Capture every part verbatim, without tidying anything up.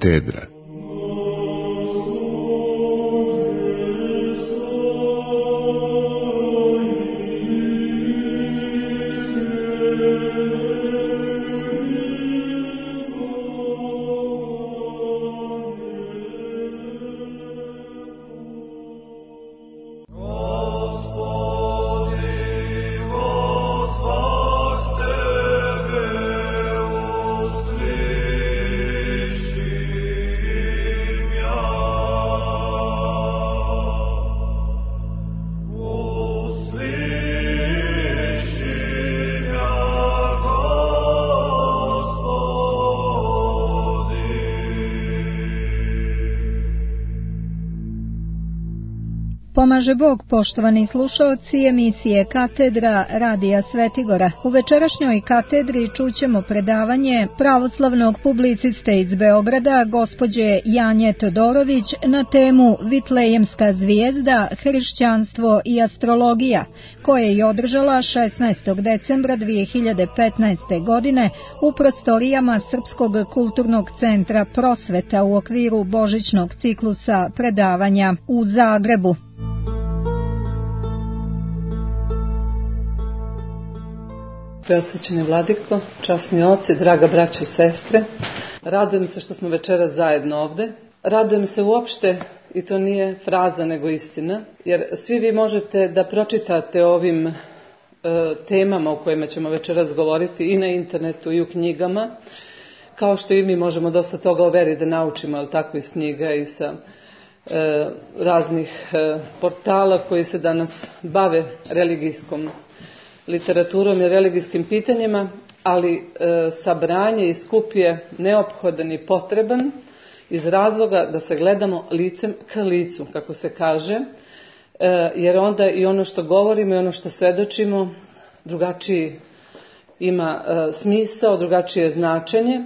Katedra. Pomaže Bog, poštovani slušaoci emisije Katedra Radija Svetigora. U večerašnjoj katedri čućemo predavanje pravoslavnog publiciste iz Beograda, gospođe Janje Todorović, na temu Vitlejemska zvijezda, hrišćanstvo i astrologija, koje je održala šesnaestog decembra dvije hiljade petnaeste. godine u prostorijama Srpskog kulturnog centra Prosveta u okviru božićnog ciklusa predavanja u Zagrebu. Preosvećeni vladiko, časni oci, draga braćo i sestre, radujem se što smo večeras zajedno ovde. Radujem se uopšte, i to nije fraza nego istina, jer svi vi možete da pročitate o ovim e, temama o kojima ćemo večeras govoriti i na internetu i u knjigama, kao što i mi možemo dosta toga o veri da naučimo, ali tako iz knjiga i sa e, raznih e, portala koji se danas bave religijskom literaturom i religijskim pitanjima, ali e, sabranje i skup je neophodan i potreban iz razloga da se gledamo licem ka licu, kako se kaže, e, jer onda i ono što govorimo i ono što svedočimo drugačiji ima e, smisao, drugačije značenje,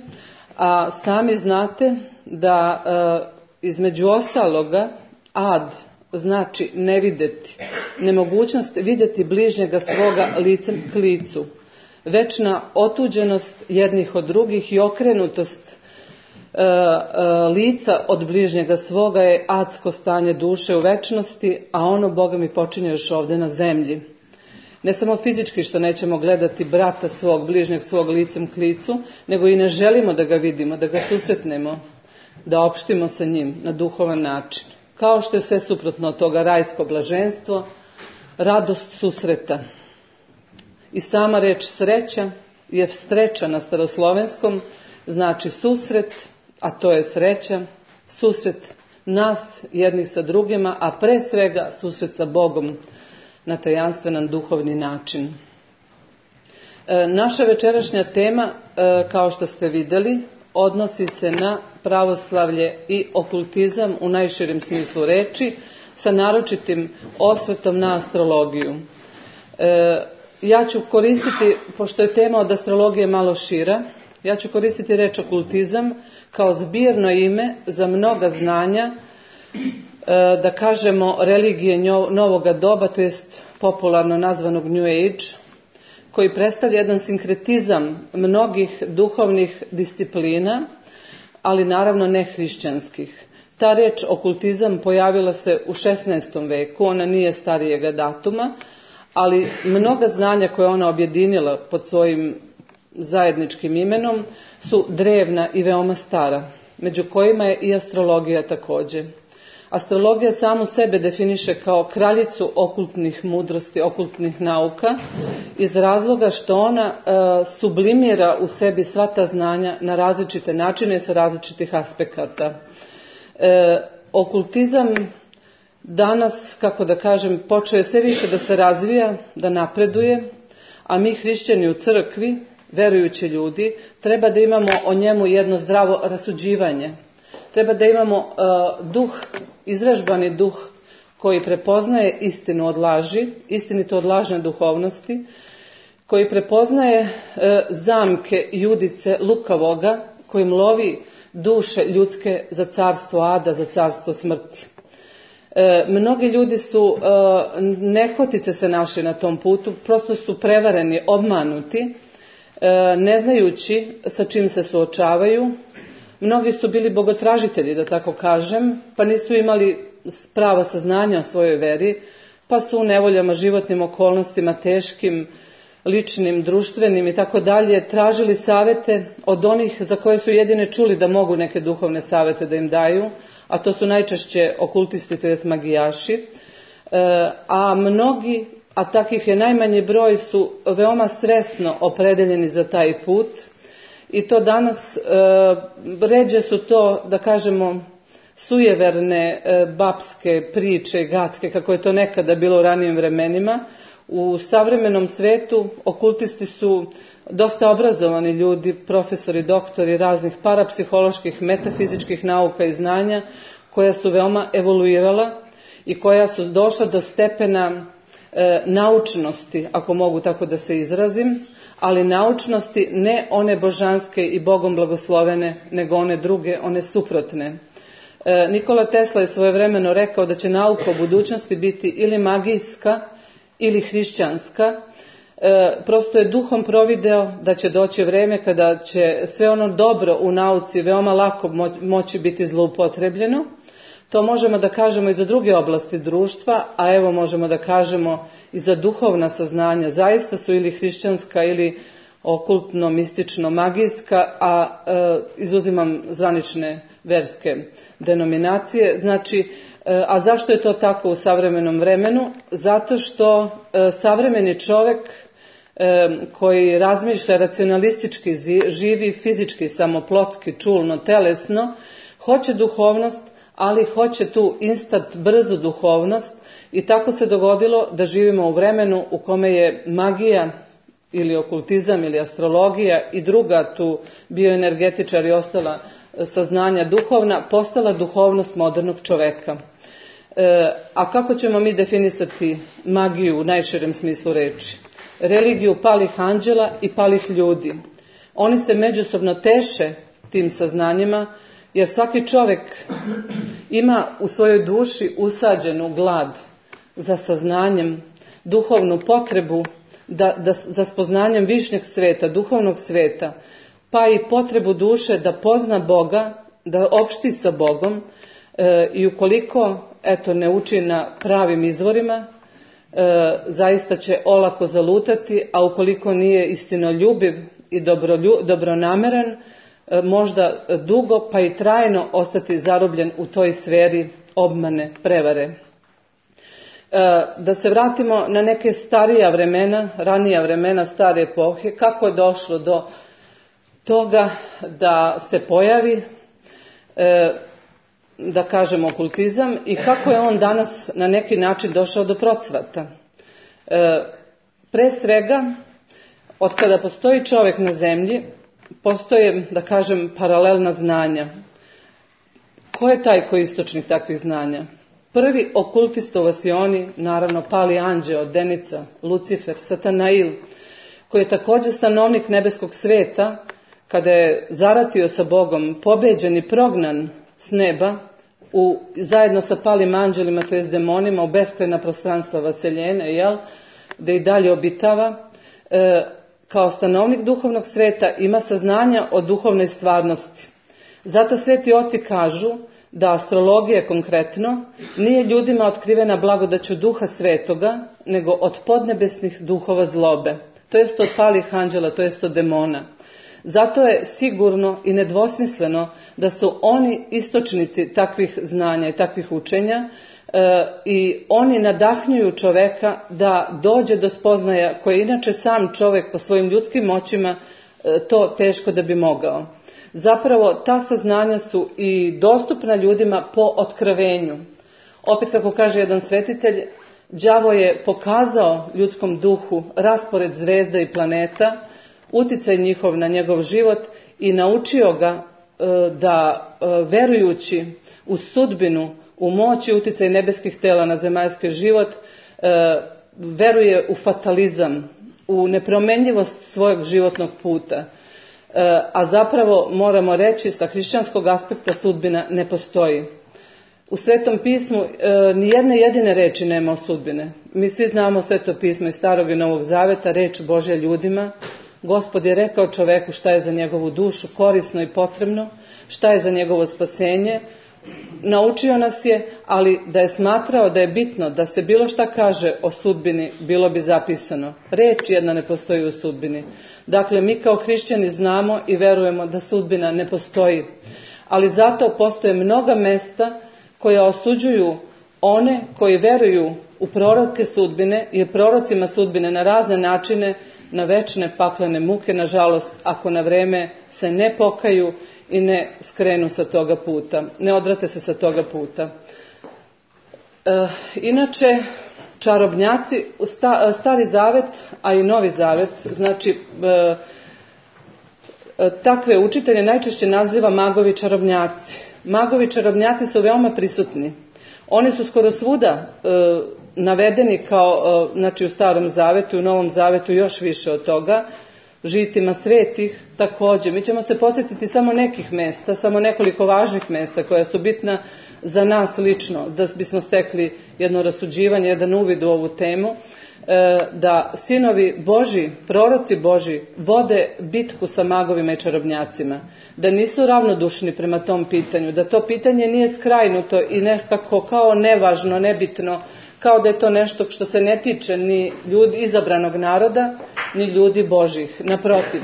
a sami znate da e, između ostaloga ad znači ne vidjeti, nemogućnost vidjeti bližnjega svoga licem k licu, večna otuđenost jednih od drugih i okrenutost e, e, lica od bližnjega svoga je adsko stanje duše u večnosti, a ono Boga mi počinje još ovdje na zemlji. Ne samo fizički što nećemo gledati brata svog, bližnjeg svog licem k licu, nego i ne želimo da ga vidimo, da ga susretnemo, da opštimo sa njim na duhovan način. Kao što je sve suprotno od toga rajsko blaženstvo, radost susreta. I sama reč sreća je streča na staroslovenskom, znači susret, a to je sreća, susret nas jednih sa drugima, a pre svega susret sa Bogom na tajanstvenan duhovni način. E, naša večerašnja tema, e, kao što ste vidjeli, odnosi se na pravoslavlje i okultizam u najširem smislu reči, sa naročitim osvrtom na astrologiju. E, ja ću koristiti, pošto je tema od astrologije malo šira, ja ću koristiti reč okultizam kao zbirno ime za mnoga znanja, e, da kažemo religije novoga doba, to jest popularno nazvanog New Age, koji predstavlja jedan sinkretizam mnogih duhovnih disciplina, ali naravno ne hrišćanskih. Ta reč okultizam pojavila se u šesnaestom veku, ona nije starijega datuma, ali mnoga znanja koje ona objedinila pod svojim zajedničkim imenom su drevna i veoma stara, među kojima je i astrologija također. Astrologija samu sebe definiše kao kraljicu okultnih mudrosti, okultnih nauka, iz razloga što ona e, sublimira u sebi sva ta znanja na različite načine sa različitih aspekata. E, okultizam danas, kako da kažem, počeo je sve više da se razvija, da napreduje, a mi hrišćani u crkvi, verujući ljudi, treba da imamo o njemu jedno zdravo rasuđivanje. Treba da imamo uh, duh, izvežbani duh koji prepoznaje istinu od laži, istinito od lažne duhovnosti, koji prepoznaje uh, zamke judice lukavoga, kojim lovi duše ljudske za carstvo ada, za carstvo smrti. E, mnogi ljudi su e, nehotice se našli na tom putu, prosto su prevareni, obmanuti, e, ne znajući sa čim se suočavaju, Mnogi su bili bogotražitelji, da tako kažem, pa nisu imali prava saznanja o svojoj veri, pa su u nevoljama, životnim okolnostima, teškim, ličnim, društvenim i tako dalje, tražili savete od onih za koje su jedine čuli da mogu neke duhovne savete da im daju, a to su najčešće okultisti, to jest magijaši, a mnogi, a takvih je najmanji broj, su veoma svesno opredeljeni za taj put i to danas ređe su to, da kažemo, sujeverne babske priče, gatke, kako je to nekada bilo u ranijim vremenima. U savremenom svetu okultisti su dosta obrazovani ljudi, profesori, doktori raznih parapsiholoških, metafizičkih nauka i znanja, koja su veoma evoluirala i koja su došla do stepena e, naučnosti, ako mogu tako da se izrazim, ali naučnosti ne one božanske i Bogom blagoslovene, nego one druge, one suprotne. E, Nikola Tesla je svojevremeno rekao da će nauka u budućnosti biti ili magijska ili hrišćanska. E, prosto je duhom provideo da će doći vreme kada će sve ono dobro u nauci veoma lako moći biti zloupotrebljeno. To možemo da kažemo i za druge oblasti društva, a evo možemo da kažemo i za duhovna saznanja. Zaista su ili hrišćanska ili okultno, mistično, magijska, a e, izuzimam zvanične verske denominacije. Znači, e, a zašto je to tako u savremenom vremenu? Zato što e, savremeni čovjek e, koji razmišlja racionalistički, živi fizički, samoplotski, čulno, telesno, hoće duhovnost, ali hoće tu instant, brzu duhovnost i tako se dogodilo da živimo u vremenu u kome je magija ili okultizam ili astrologija i druga tu bioenergetičar i ostala saznanja duhovna postala duhovnost modernog čoveka. E, a kako ćemo mi definisati magiju u najširem smislu reči? Religiju palih anđela i palih ljudi. Oni se međusobno teše tim saznanjima, jer svaki čovjek ima u svojoj duši usađenu glad za saznanjem, duhovnu potrebu da, da, za spoznanjem višnjeg sveta, duhovnog sveta, pa i potrebu duše da pozna Boga, da opšti sa Bogom e, i ukoliko eto, ne uči na pravim izvorima, e, zaista će olako zalutati, a ukoliko nije istinoljubiv i dobrolju, dobronameran, možda dugo pa i trajno ostati zarobljen u toj sferi obmane, prevare. Da se vratimo na neke starija vremena, ranija vremena, stare epohe, kako je došlo do toga da se pojavi, da kažemo, okultizam i kako je on danas na neki način došao do procvata. Pre svega, od kada postoji čovjek na zemlji, postoje, da kažem, paralelna znanja. Ko je taj koji je istočnik takvih znanja? Prvi okultistovaci oni, naravno, pali anđeo, Denica, Lucifer, Satanail, koji je također stanovnik nebeskog sveta, kada je zaratio sa Bogom, pobeđen i prognan s neba, u, zajedno sa palim anđelima, to jest demonima, u beskrajna prostranstva vaseljene, jel, da i dalje obitava, e, kao stanovnik duhovnog sveta ima saznanja o duhovnoj stvarnosti. Zato sveti oci kažu da astrologija konkretno nije ljudima otkrivena blagodaću duha svetoga, nego od podnebesnih duhova zlobe, to jest od palih anđela, to jest od demona. Zato je sigurno i nedvosmisleno da su oni istočnici takvih znanja i takvih učenja, E, i oni nadahnjuju čoveka da dođe do spoznaja koje inače sam čovjek po svojim ljudskim moćima e, to teško da bi mogao. Zapravo ta saznanja su i dostupna ljudima po otkrovenju. Opet kako kaže jedan svetitelj, đavo je pokazao ljudskom duhu raspored zvezda i planeta, uticaj njihov na njegov život i naučio ga e, da e, verujući u sudbinu, u moć i uticaj nebeskih tela na zemaljski život, e, veruje u fatalizam, u nepromenljivost svojeg životnog puta. E, a zapravo moramo reći sa hrišćanskog aspekta sudbina ne postoji. U Svetom pismu e, ni jedne jedine reči nema o sudbine. Mi svi znamo Sveto pismo iz Starog i Novog Zaveta, reč Božja ljudima. Gospod je rekao čoveku šta je za njegovu dušu korisno i potrebno, šta je za njegovo spasenje. Naučio nas je, ali da je smatrao da je bitno da se bilo šta kaže o sudbini, bilo bi zapisano. Reč jedna ne postoji u sudbini. Dakle, mi kao hrišćani znamo i verujemo da sudbina ne postoji. Ali zato postoje mnoga mesta koja osuđuju one koji veruju u proroke sudbine i prorocima sudbine na razne načine, na večne paklene muke, nažalost, ako na vreme se ne pokaju i ne skrenu sa toga puta, ne odvrate se sa toga puta. E, inače, čarobnjaci, sta, Stari zavet, a i Novi zavet, znači e, e, takve učitelje najčešće naziva magovi čarobnjaci. Magovi čarobnjaci su veoma prisutni. Oni su skoro svuda e, navedeni kao, e, znači u Starom zavetu i u Novom zavetu još više od toga, žitima svetih također. Mi ćemo se podsjetiti samo nekih mesta, samo nekoliko važnih mesta koja su bitna za nas lično, da bismo stekli jedno rasuđivanje, jedan uvid u ovu temu, da sinovi Božji, proroci Božji, vode bitku sa magovima i čarobnjacima, da nisu ravnodušni prema tom pitanju, da to pitanje nije skrajnuto i nekako kao nevažno, nebitno, kao da je to nešto što se ne tiče ni ljudi izabranog naroda, ni ljudi Božjih. Naprotiv,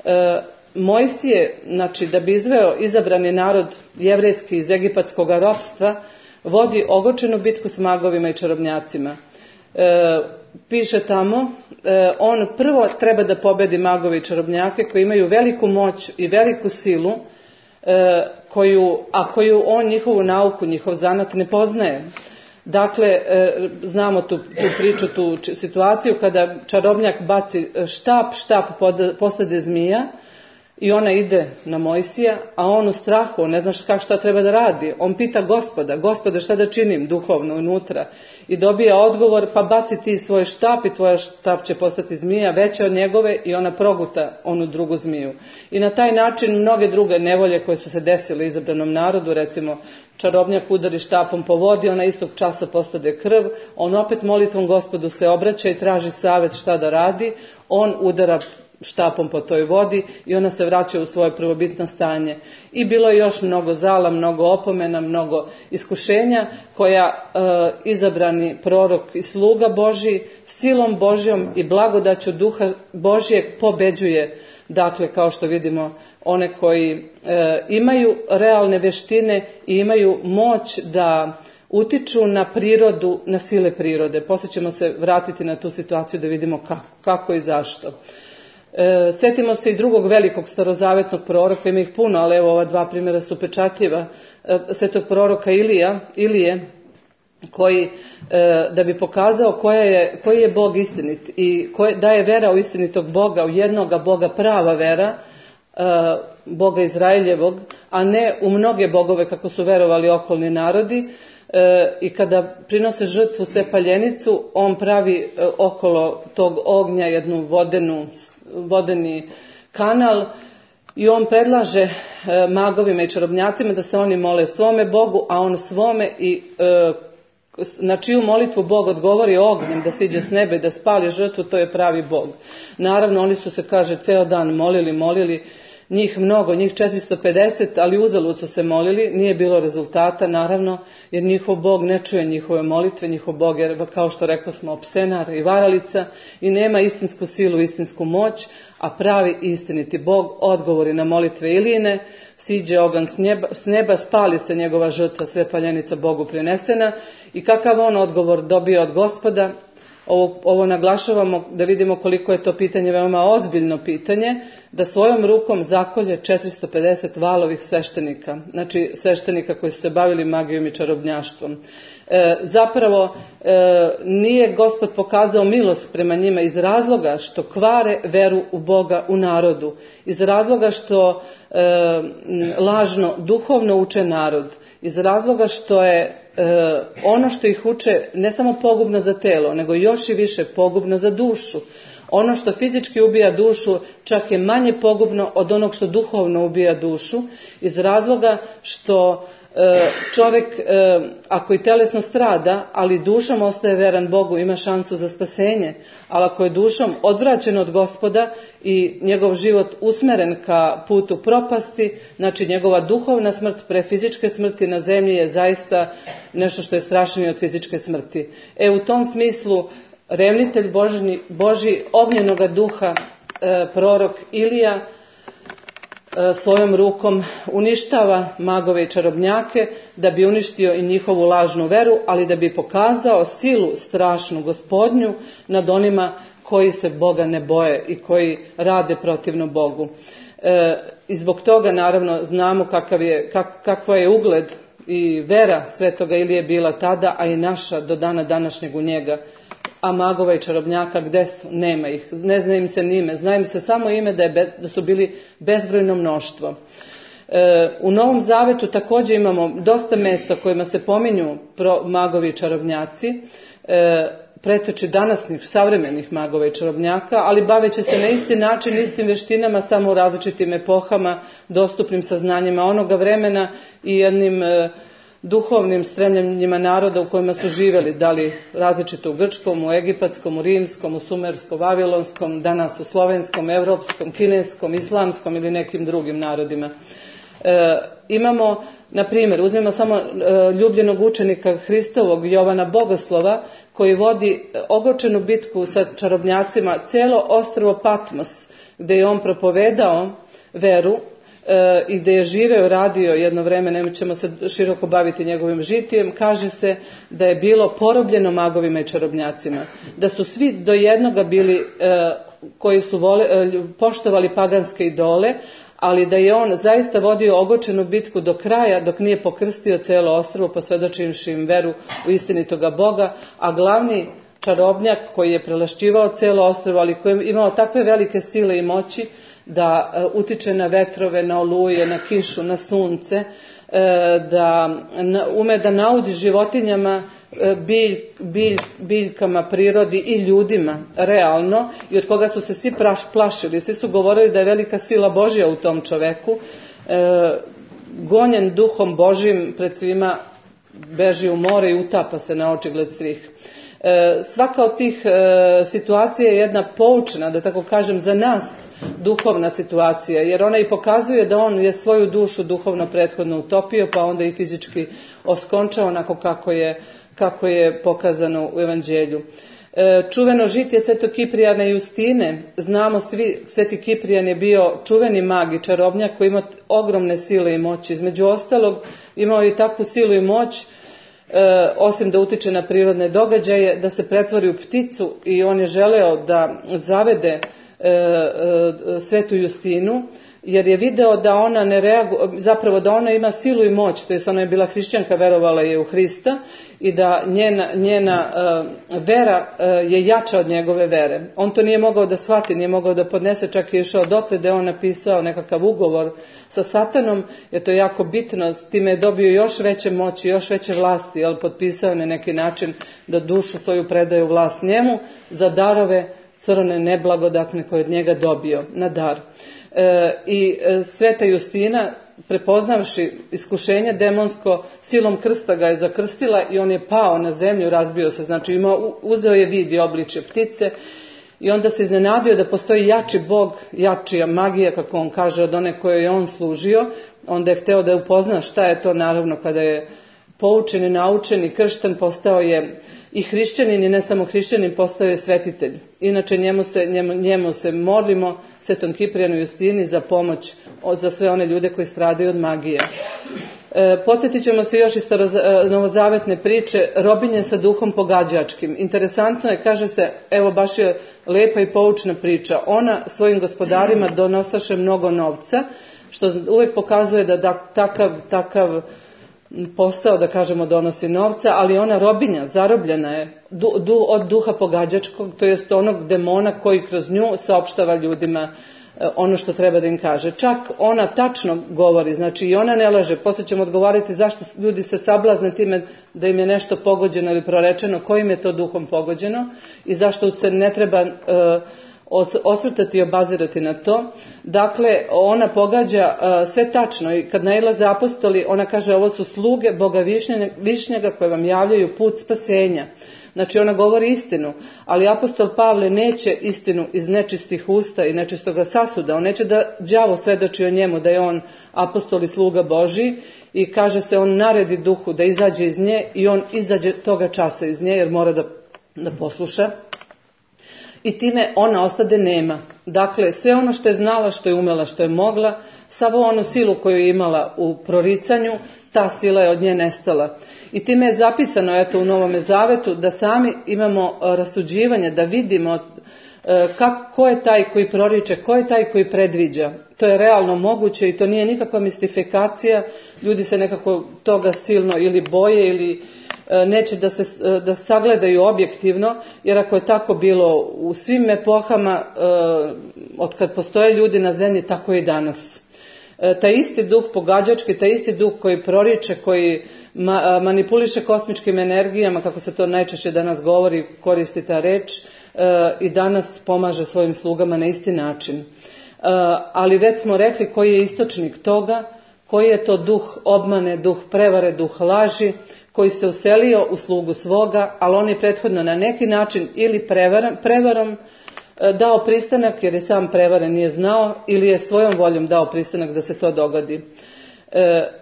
e, Mojsije, znači da bi izveo izabrani narod jevrejski iz egipatskog ropstva, vodi ogorčenu bitku s magovima i čarobnjacima. E, piše tamo, e, on prvo treba da pobedi magove i čarobnjake koji imaju veliku moć i veliku silu, e, koju, a koju on njihovu nauku, njihov zanat ne poznaje. Dakle, e, znamo tu, tu priču, tu situaciju kada čarobnjak baci štap, štap pod, postade zmija i ona ide na Mojsija, a on u strahu, on ne zna šta, šta treba da radi. On pita Gospoda, Gospode šta da činim duhovno unutra, i dobija odgovor, pa baci ti svoj štap i tvoja štap će postati zmija veća od njegove i ona proguta onu drugu zmiju. I na taj način mnoge druge nevolje koje su se desile izabranom narodu, recimo čarobnjak udari štapom po vodi, ona istog časa postade krv, on opet molitvom Gospodu se obraća i traži savjet šta da radi, on udara štapom po toj vodi i ona se vraća u svoje prvobitno stanje. I bilo je još mnogo zala, mnogo opomena, mnogo iskušenja koja e, izabrani prorok i sluga Božji silom Božjom i blagodaću Duha Božjeg pobeđuje. Dakle, kao što vidimo, one koji e, imaju realne veštine i imaju moć da utiču na prirodu, na sile prirode. Poslije ćemo se vratiti na tu situaciju da vidimo kako, kako i zašto. E, sjetimo se i drugog velikog starozavetnog proroka, ima ih puno, ali evo ova dva primjera su pečatljiva. E, svetog proroka Ilija, Ilije, koji e, da bi pokazao koja je, koji je Bog istinit i koje, da je vera u istinitog Boga, u jednoga Boga prava vera, e, Boga Izraeljevog, a ne u mnoge bogove kako su verovali okolni narodi. E, I kada prinose žrtvu sepaljenicu, on pravi e, okolo tog ognja jednu vodenu, vodeni kanal i on predlaže e, magovima i čarobnjacima da se oni mole svome Bogu, a on svome i e, na čiju molitvu Bog odgovori ognjem da siđe s nebe i da spali žrtvu, to je pravi Bog. Naravno, oni su se, kaže, ceo dan molili, molili, njih mnogo, njih četiristo pedeset, ali uzalud su se molili, nije bilo rezultata, naravno, jer njihov Bog ne čuje njihove molitve, njihov Bog je, kao što rekla smo, opsenar i varalica i nema istinsku silu, istinsku moć, a pravi istiniti Bog odgovori na molitve Ilijine, siđe oganj s neba, s neba, spali se njegova žrtva, sve paljenica Bogu prinesena i kakav on odgovor dobio od Gospoda. Ovo, ovo naglašavamo da vidimo koliko je to pitanje veoma ozbiljno pitanje, da svojom rukom zakolje četiristo pedeset valovih sveštenika, znači sveštenika koji su se bavili magijom i čarobnjaštvom. E, zapravo e, nije Gospod pokazao milost prema njima iz razloga što kvare veru u Boga u narodu, iz razloga što e, lažno duhovno uče narod, iz razloga što je e, ono što ih uče ne samo pogubno za telo, nego još i više pogubno za dušu. Ono što fizički ubija dušu čak je manje pogubno od onog što duhovno ubija dušu, iz razloga što čovjek ako i telesno strada, ali dušom ostaje veran Bogu, ima šansu za spasenje, ali ako je dušom odvraćen od Gospoda i njegov život usmeren ka putu propasti, znači njegova duhovna smrt pre fizičke smrti na zemlji je zaista nešto što je strašnije od fizičke smrti. E u tom smislu revnitelj Božji, Božji ognjenoga duha, e, prorok Ilija, svojom rukom uništava magove i čarobnjake da bi uništio i njihovu lažnu veru, ali da bi pokazao silu strašnu Gospodnju nad onima koji se Boga ne boje i koji rade protivno Bogu. E, I zbog toga naravno znamo kakav je, kak, kakva je ugled i vera svetoga Ilije bila tada, a i naša do dana današnjeg u njega. A magova i čarobnjaka gde su? Nema ih. Ne zna im se ni ime. Zna im se samo ime da, je be, da su bili bezbrojno mnoštvo. E, u Novom Zavetu također imamo dosta mesta kojima se pominju pro, magovi i čarobnjaci, e, pretoči danasnih savremenih magova i čarobnjaka, ali baveći se na isti način, istim veštinama, samo u različitim epohama, dostupnim saznanjima onoga vremena i jednim e, duhovnim stremljenjima naroda u kojima su živjeli, da li različito u grčkom, u egipatskom, u rimskom, u sumerskom, vavilonskom, danas u slovenskom, evropskom, kineskom, islamskom ili nekim drugim narodima. E, imamo, na primjer, uzmimo samo e, ljubljenog učenika Hristovog Jovana Bogoslova, koji vodi ogorčenu bitku sa čarobnjacima celo ostrvo Patmos, gdje je on propovedao veru i gdje je živeo, radio jedno vreme, nećemo se široko baviti njegovim žitijem, kaže se da je bilo porobljeno magovima i čarobnjacima, da su svi do jednoga bili koji su vole, poštovali paganske idole, ali da je on zaista vodio ogorčenu bitku do kraja dok nije pokrstio cijelo ostrvo posvjedočivši im veru u istinitoga Boga, a glavni čarobnjak koji je prelašćivao cijelo ostrvo, ali koji je imao takve velike sile i moći da utiče na vetrove, na oluje, na kišu, na sunce, da ume da naudi životinjama, bilj, bilj, biljkama, prirodi i ljudima realno, i od koga su se svi plašili. Svi su govorili da je velika sila Božja u tom čoveku. Gonjen duhom Božjim pred svima beži u more i utapa se na očigled svih. Svaka od tih situacija je jedna poučna, da tako kažem, za nas duhovna situacija, jer ona i pokazuje da on je svoju dušu duhovno prethodno utopio, pa onda i fizički oskončao onako kako je, kako je pokazano u Evanđelju. Čuveno žitje Svetog Kiprijana i Justine, znamo svi, Sveti Kiprijan je bio čuveni mag i čarobnjak koji ima ogromne sile i moći. Između ostalog imao je takvu silu i moć, E, osim da utiče na prirodne događaje, da se pretvori u pticu, i on je želeo da zavede e, e, Svetu Justinu, jer je video da ona ne reaguje, zapravo da ona ima silu i moć, to jest ona je bila hrišćanka, verovala je u Hrista, i da njena, njena uh, vera uh, je jača od njegove vere. On to nije mogao da shvati, nije mogao da podnese, čak je išao dotle da je on napisao nekakav ugovor sa Satanom, jer to je jako bitno, s time je dobio još veće moći, još veće vlasti, ali potpisao na neki način da dušu svoju predaju vlast njemu za darove crne neblagodatne koje od njega dobio na dar. E, I e, Sveta Justina, prepoznavši iskušenje demonsko, silom krsta ga je zakrstila i on je pao na zemlju, razbio se, znači imao, uzeo je vid i obličje ptice, i onda se iznenadio da postoji jači bog, jačija magija, kako on kaže, od one koje je on služio. Onda je hteo da upozna šta je to, naravno kada je poučen i naučen i kršten, postao je i hrišćanin, i ne samo hrišćanin, postao je svetitelj. Inače njemu se, njemu, njemu se molimo, Svetom Kiprijanu i Justini, za pomoć za sve one ljude koji stradaju od magije. E, podsjetit ćemo se još iz novozavetne priče, robinje sa duhom pogađačkim. Interesantno je, kaže se, evo baš je lepa i poučna priča, ona svojim gospodarima donosaše mnogo novca, što uvijek pokazuje da, da takav, takav posao, da kažemo, donosi novca, ali ona robinja, zarobljena je du, du, od duha pogađačkog, to jest onog demona koji kroz nju saopštava ljudima ono što treba da im kaže. Čak ona tačno govori, znači i ona ne laže. Poslije ćemo odgovoriti zašto ljudi se sablazne time da im je nešto pogođeno ili prorečeno, kojim je to duhom pogođeno i zašto se ne treba uh, osvrtati i obazirati na to. Dakle, ona pogađa uh, sve tačno i kad nailaze apostoli, ona kaže ovo su sluge Boga Višnjega koje vam javljaju put spasenja. Znači ona govori istinu, ali apostol Pavle neće istinu iz nečistih usta i nečistoga sasuda. On neće da đavo svedoči o njemu da je on apostol i sluga Božji i kaže se on naredi duhu da izađe iz nje i on izađe toga časa iz nje jer mora da, da posluša. I time ona ostade nema. Dakle, sve ono što je znala, što je umela, što je mogla, savu onu silu koju je imala u proricanju, ta sila je od nje nestala. I time je zapisano eto, u Novome Zavetu da sami imamo rasuđivanje, da vidimo kako, ko je taj koji proriče, ko je taj koji predviđa. To je realno moguće i to nije nikakva mistifikacija. Ljudi se nekako toga silno ili boje ili neće da se da sagledaju objektivno, jer ako je tako bilo u svim epohama, od kad postoje ljudi na zemlji, tako je i danas. Taj isti duh pogađački, taj isti duh koji proriče, koji ma, manipuliše kosmičkim energijama, kako se to najčešće danas govori, koristi ta reč, i danas pomaže svojim slugama na isti način. Ali već smo rekli koji je istočnik toga, koji je to duh obmane, duh prevare, duh laži, koji se uselio u slugu svoga, ali on je prethodno na neki način ili prevarom, prevarom dao pristanak, jer je sam prevaren nije znao, ili je svojom voljom dao pristanak da se to dogodi.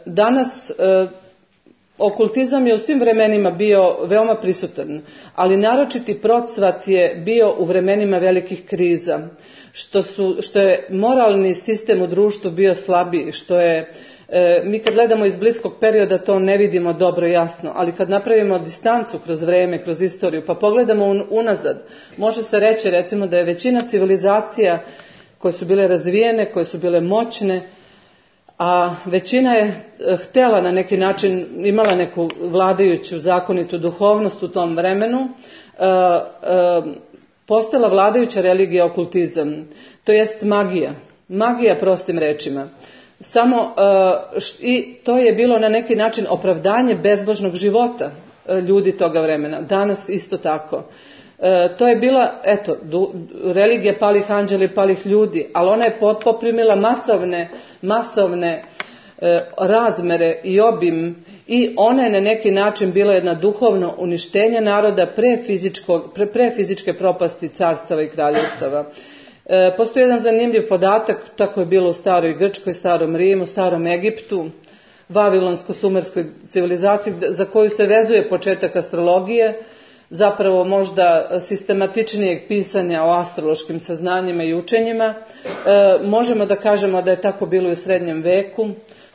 Danas okultizam je u svim vremenima bio veoma prisutan, ali naročiti procvat je bio u vremenima velikih kriza, što, su, što je moralni sistem u društvu bio slabiji, što je mi kad gledamo iz bliskog perioda to ne vidimo dobro jasno, ali kad napravimo distancu kroz vreme, kroz istoriju, pa pogledamo unazad, može se reći recimo da je većina civilizacija koje su bile razvijene, koje su bile moćne, a većina je htjela na neki način, imala neku vladajuću zakonitu duhovnost u tom vremenu, postala vladajuća religija okultizam, to jest magija, magija prostim rečima. Samo uh, i to je bilo na neki način opravdanje bezbožnog života uh, ljudi toga vremena. Danas isto tako. Uh, to je bila, eto, du, religija palih anđela i palih ljudi, ali ona je poprimila masovne, masovne uh, razmere i obim i ona je na neki način bila jedna duhovno uništenje naroda pre, pre, pre fizičke propasti carstava i kraljevstava. E, postoji jedan zanimljiv podatak, tako je bilo u staroj Grčkoj, starom Rimu, starom Egiptu, vavilonsko-sumerskoj civilizaciji za koju se vezuje početak astrologije, zapravo možda sistematičnijeg pisanja o astrološkim saznanjima i učenjima. E, možemo da kažemo da je tako bilo i u srednjem veku,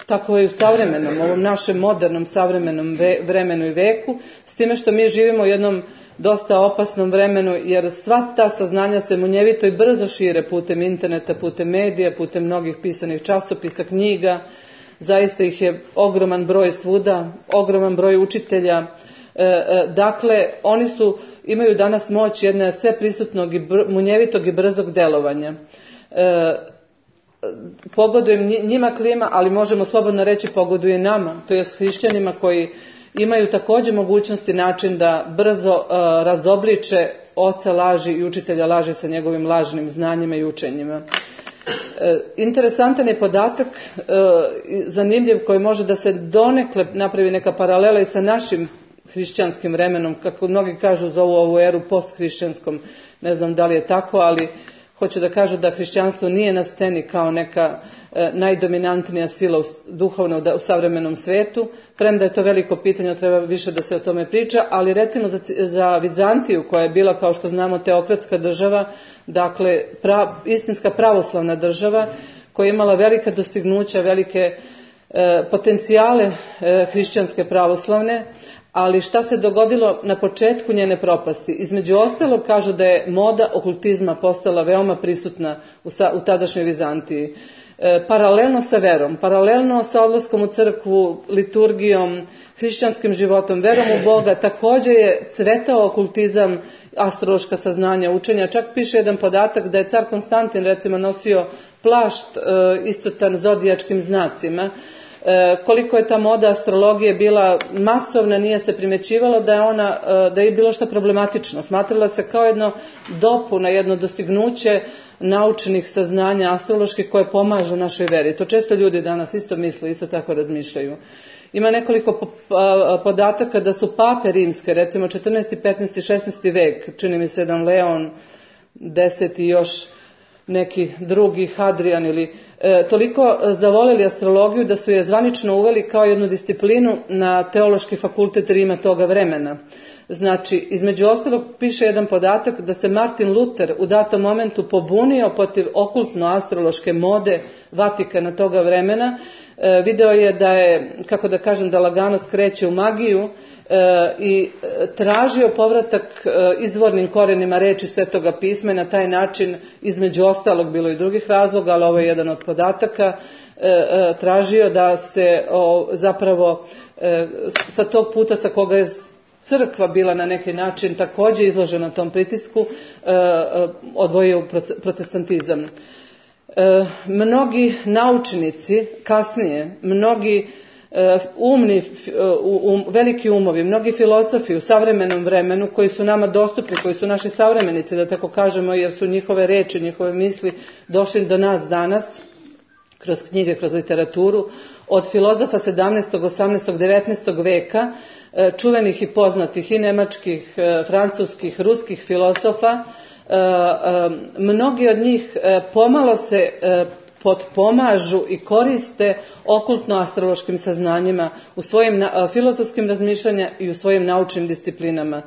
tako je i u savremenom, ovom našem modernom savremenom ve, vremenu i veku, s time što mi živimo u jednom dosta opasnom vremenu, jer sva ta saznanja se munjevito i brzo šire putem interneta, putem medija, putem mnogih pisanih časopisa, knjiga. Zaista ih je ogroman broj svuda, ogroman broj učitelja. E, e, dakle, oni su, imaju danas moć jedne sveprisutnog i br, munjevitog i brzog delovanja. E, pogodujem njima klima, ali možemo slobodno reći pogoduje nama, to je s hrišćanima koji imaju također mogućnosti način da brzo uh, razobliče oca laži i učitelja laži sa njegovim lažnim znanjima i učenjima. Uh, interesantan je podatak, uh, zanimljiv, koji može da se donekle napravi neka paralela i sa našim hrišćanskim vremenom, kako mnogi kažu zovu ovu eru posthrišćanskom, ne znam da li je tako, ali hoću da kažu da hrišćanstvo nije na sceni kao neka e, najdominantnija sila u, duhovna u, u savremenom svetu, premda je to veliko pitanje, treba više da se o tome priča, ali recimo za, za Vizantiju, koja je bila, kao što znamo, teokratska država, dakle pra, istinska pravoslavna država, koja je imala velika dostignuća, velike e, potencijale e, hrišćanske pravoslavne, ali šta se dogodilo na početku njene propasti? Između ostalog kažu da je moda okultizma postala veoma prisutna u, sa, u tadašnjoj Vizantiji. E, paralelno sa verom, paralelno sa odlaskom u crkvu, liturgijom, hrišćanskim životom, verom u Boga, također je cvetao okultizam, astrološka saznanja, učenja. Čak piše jedan podatak da je car Konstantin recimo nosio plašt e, iscrtan zodijačkim znacima, koliko je ta moda astrologije bila masovna, nije se primjećivalo da je ona, da je bilo što problematično. Smatrala se kao jedno dopuna, jedno dostignuće naučnih saznanja astroloških koje pomažu našoj veri. To često ljudi danas isto misle, isto tako razmišljaju. Ima nekoliko podataka da su pape rimske, recimo četrnaesti, petnaesti, šesnaesti vek, čini mi se jedan Leon deseti i još neki drugi, Hadrian ili e, toliko zavoleli astrologiju da su je zvanično uveli kao jednu disciplinu na teološki fakultet Rima toga vremena. Znači, između ostalog piše jedan podatak da se Martin Luther u datom momentu pobunio protiv okultno-astrološke mode Vatikana toga vremena. E, video je da je, kako da kažem, da lagano skreće u magiju e, i tražio povratak e, izvornim korenima reči Svetoga pisma i na taj način, između ostalog, bilo i drugih razloga, ali ovo je jedan od podataka, e, e, tražio da se o, zapravo e, sa tog puta sa koga je crkva bila na neki način također izložena tom pritisku, odvojio u protestantizam. Mnogi naučnici kasnije, mnogi umni, veliki umovi, mnogi filozofi u savremenom vremenu koji su nama dostupni, koji su naši savremenici, da tako kažemo, jer su njihove reči, njihove misli došli do nas danas, kroz knjige, kroz literaturu, od filozofa sedamnaestog, osamnaestog, devetnaestog veka, čuvenih i poznatih i nemačkih, francuskih, ruskih filozofa, mnogi od njih pomalo se potpomažu i koriste okultno-astrološkim saznanjima u svojim filozofskim razmišljanjima i u svojim naučnim disciplinama.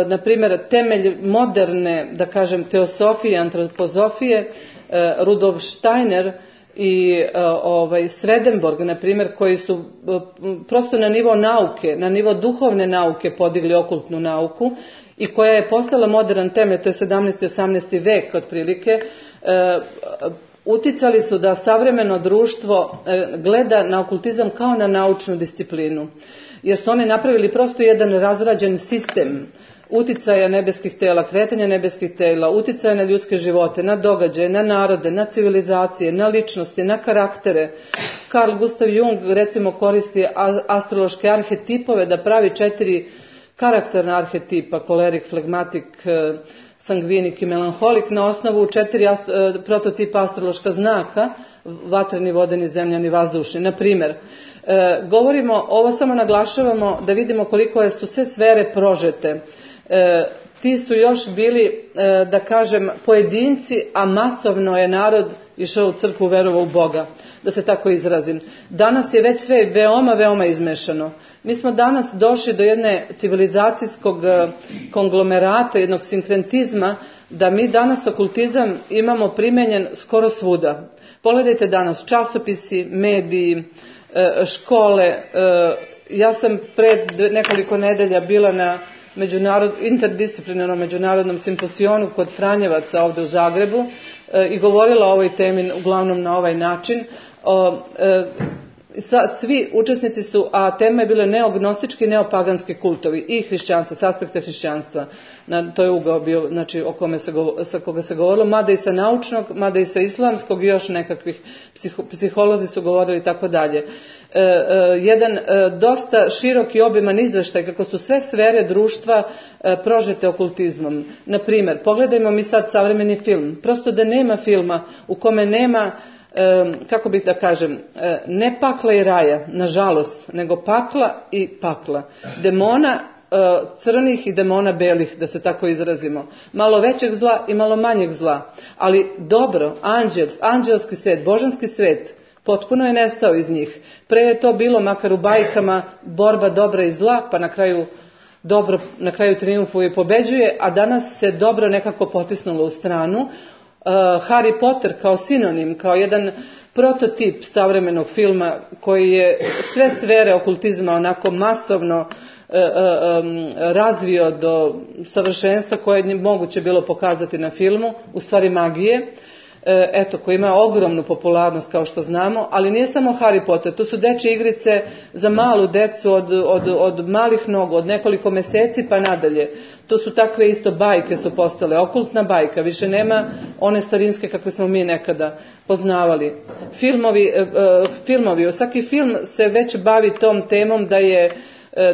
Na primjer, temelj moderne, da kažem, teosofije, antropozofije, Rudolf Steiner i ovaj, Swedenborg, na primjer, koji su prosto na nivo nauke, na nivo duhovne nauke podigli okultnu nauku i koja je postala modern temelj, to je sedamnaesti i osamnaesti vek otprilike, e, uticali su da savremeno društvo e, gleda na okultizam kao na naučnu disciplinu, jer su oni napravili prosto jedan razrađen sistem uticaja nebeskih tela, kretanja nebeskih tela, uticaja na ljudske živote, na događaje, na narode, na civilizacije, na ličnosti, na karaktere. Carl Gustav Jung recimo koristi astrološke arhetipove da pravi četiri karakterna arhetipa, kolerik, flegmatik, sangvinik i melanholik, na osnovu četiri ast- prototipa astrološka znaka, vatreni, vodeni, zemljani, vazdušni. Na primjer, e, govorimo, ovo samo naglašavamo da vidimo koliko su sve sfere prožete. E, ti su još bili, e, da kažem, pojedinci, a masovno je narod išao u crkvu, verovao u Boga, da se tako izrazim. Danas je već sve veoma, veoma izmešano. Mi smo danas došli do jedne civilizacijskog konglomerata, jednog sinkrentizma, da mi danas okultizam imamo primenjen skoro svuda. Pogledajte danas časopisi, mediji, škole. Ja sam pred nekoliko nedelja bila na međunarod, interdisciplinarnom međunarodnom simposionu kod Franjevaca ovdje u Zagrebu i govorila o ovoj temi uglavnom na ovaj način. Svi učesnici su, a tema je bila neognostički i neopaganski kultovi i hrišćanstva, s aspekta hrišćanstva. Na, to je ugao bio, znači, o kome se, sa koga se govorilo, mada i sa naučnog, mada i sa islamskog i još nekakvih psiho, psiholozi su govorili i tako dalje. E, e, jedan e, dosta širok i obiman izveštaj kako su sve sfere društva e, prožete okultizmom. Na primjer, pogledajmo mi sad savremeni film. Prosto da nema filma u kome nema, kako bih da kažem, ne pakla i raja, nažalost, nego pakla i pakla. Demona crnih i demona belih, da se tako izrazimo. Malo većeg zla i malo manjeg zla. Ali dobro, anđel, anđelski svet, božanski svet, potpuno je nestao iz njih. Pre je to bilo, makar u bajkama, borba dobra i zla, pa na kraju dobro, na kraju trijumfuje i pobeđuje, a danas se dobro nekako potisnulo u stranu. Uh, Harry Potter kao sinonim, kao jedan prototip savremenog filma koji je sve sfere okultizma onako masovno uh, um, razvio do savršenstva koje je moguće bilo pokazati na filmu, u stvari magije. Uh, eto, koji ima ogromnu popularnost kao što znamo, ali nije samo Harry Potter, to su dečje igrice za malu decu od, od, od malih nogu, od nekoliko meseci pa nadalje. To su takve isto bajke su postale, okultna bajka, više nema one starinske kakve smo mi nekada poznavali. Filmovi, filmovi, svaki film se već bavi tom temom da je,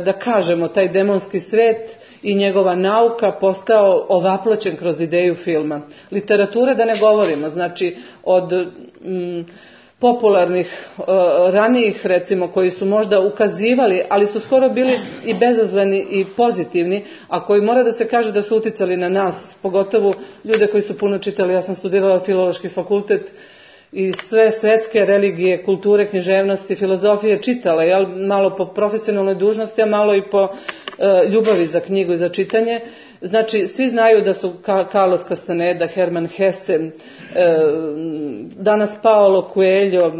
da kažemo, taj demonski svet i njegova nauka postao ovaploćen kroz ideju filma. Literatura da ne govorimo, znači od mm, popularnih uh, ranijih recimo koji su možda ukazivali, ali su skoro bili i bezazleni i pozitivni, a koji mora da se kaže da su uticali na nas, pogotovo ljude koji su puno čitali. Ja sam studirala filološki fakultet i sve svetske religije, kulture, književnosti, filozofije čitala, jel, malo po profesionalnoj dužnosti, a malo i po ljubavi za knjigu i za čitanje. Znači, svi znaju da su Carlos Castaneda, Herman Hesse, danas Paolo Coelho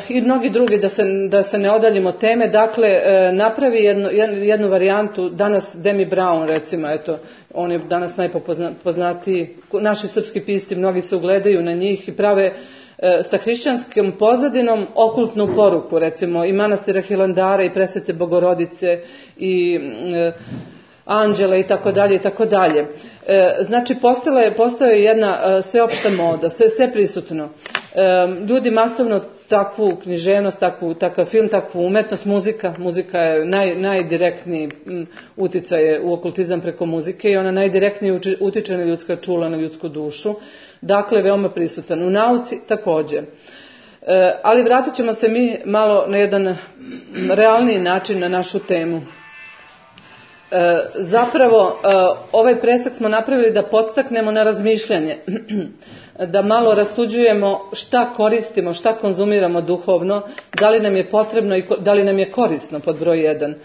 i mnogi drugi, da se, da se ne odaljimo teme. Dakle, napravi jednu, jednu varijantu, danas Demi Brown recimo, eto, on je danas najpoznatiji, naši srpski pisci, mnogi se ugledaju na njih i prave sa hrišćanskom pozadinom okultnu poruku, recimo i manastira Hilandara i Presvete Bogorodice i e, anđela i tako dalje i tako dalje. Znači postala je, postala je jedna e, sveopšta moda, sve, sve prisutno. E, ljudi masovno takvu književnost, takvu, takav film, takvu umetnost, muzika, muzika je naj, najdirektniji uticaj u okultizam preko muzike i ona najdirektnije utiče na ljudska čula, na ljudsku dušu. Dakle, veoma prisutan. U nauci također. E, ali vratit ćemo se mi malo na jedan realniji način na našu temu. E, zapravo, e, ovaj presek smo napravili da podstaknemo na razmišljanje, da malo rasuđujemo šta koristimo, šta konzumiramo duhovno, da li nam je potrebno i da li nam je korisno pod broj jedan. E,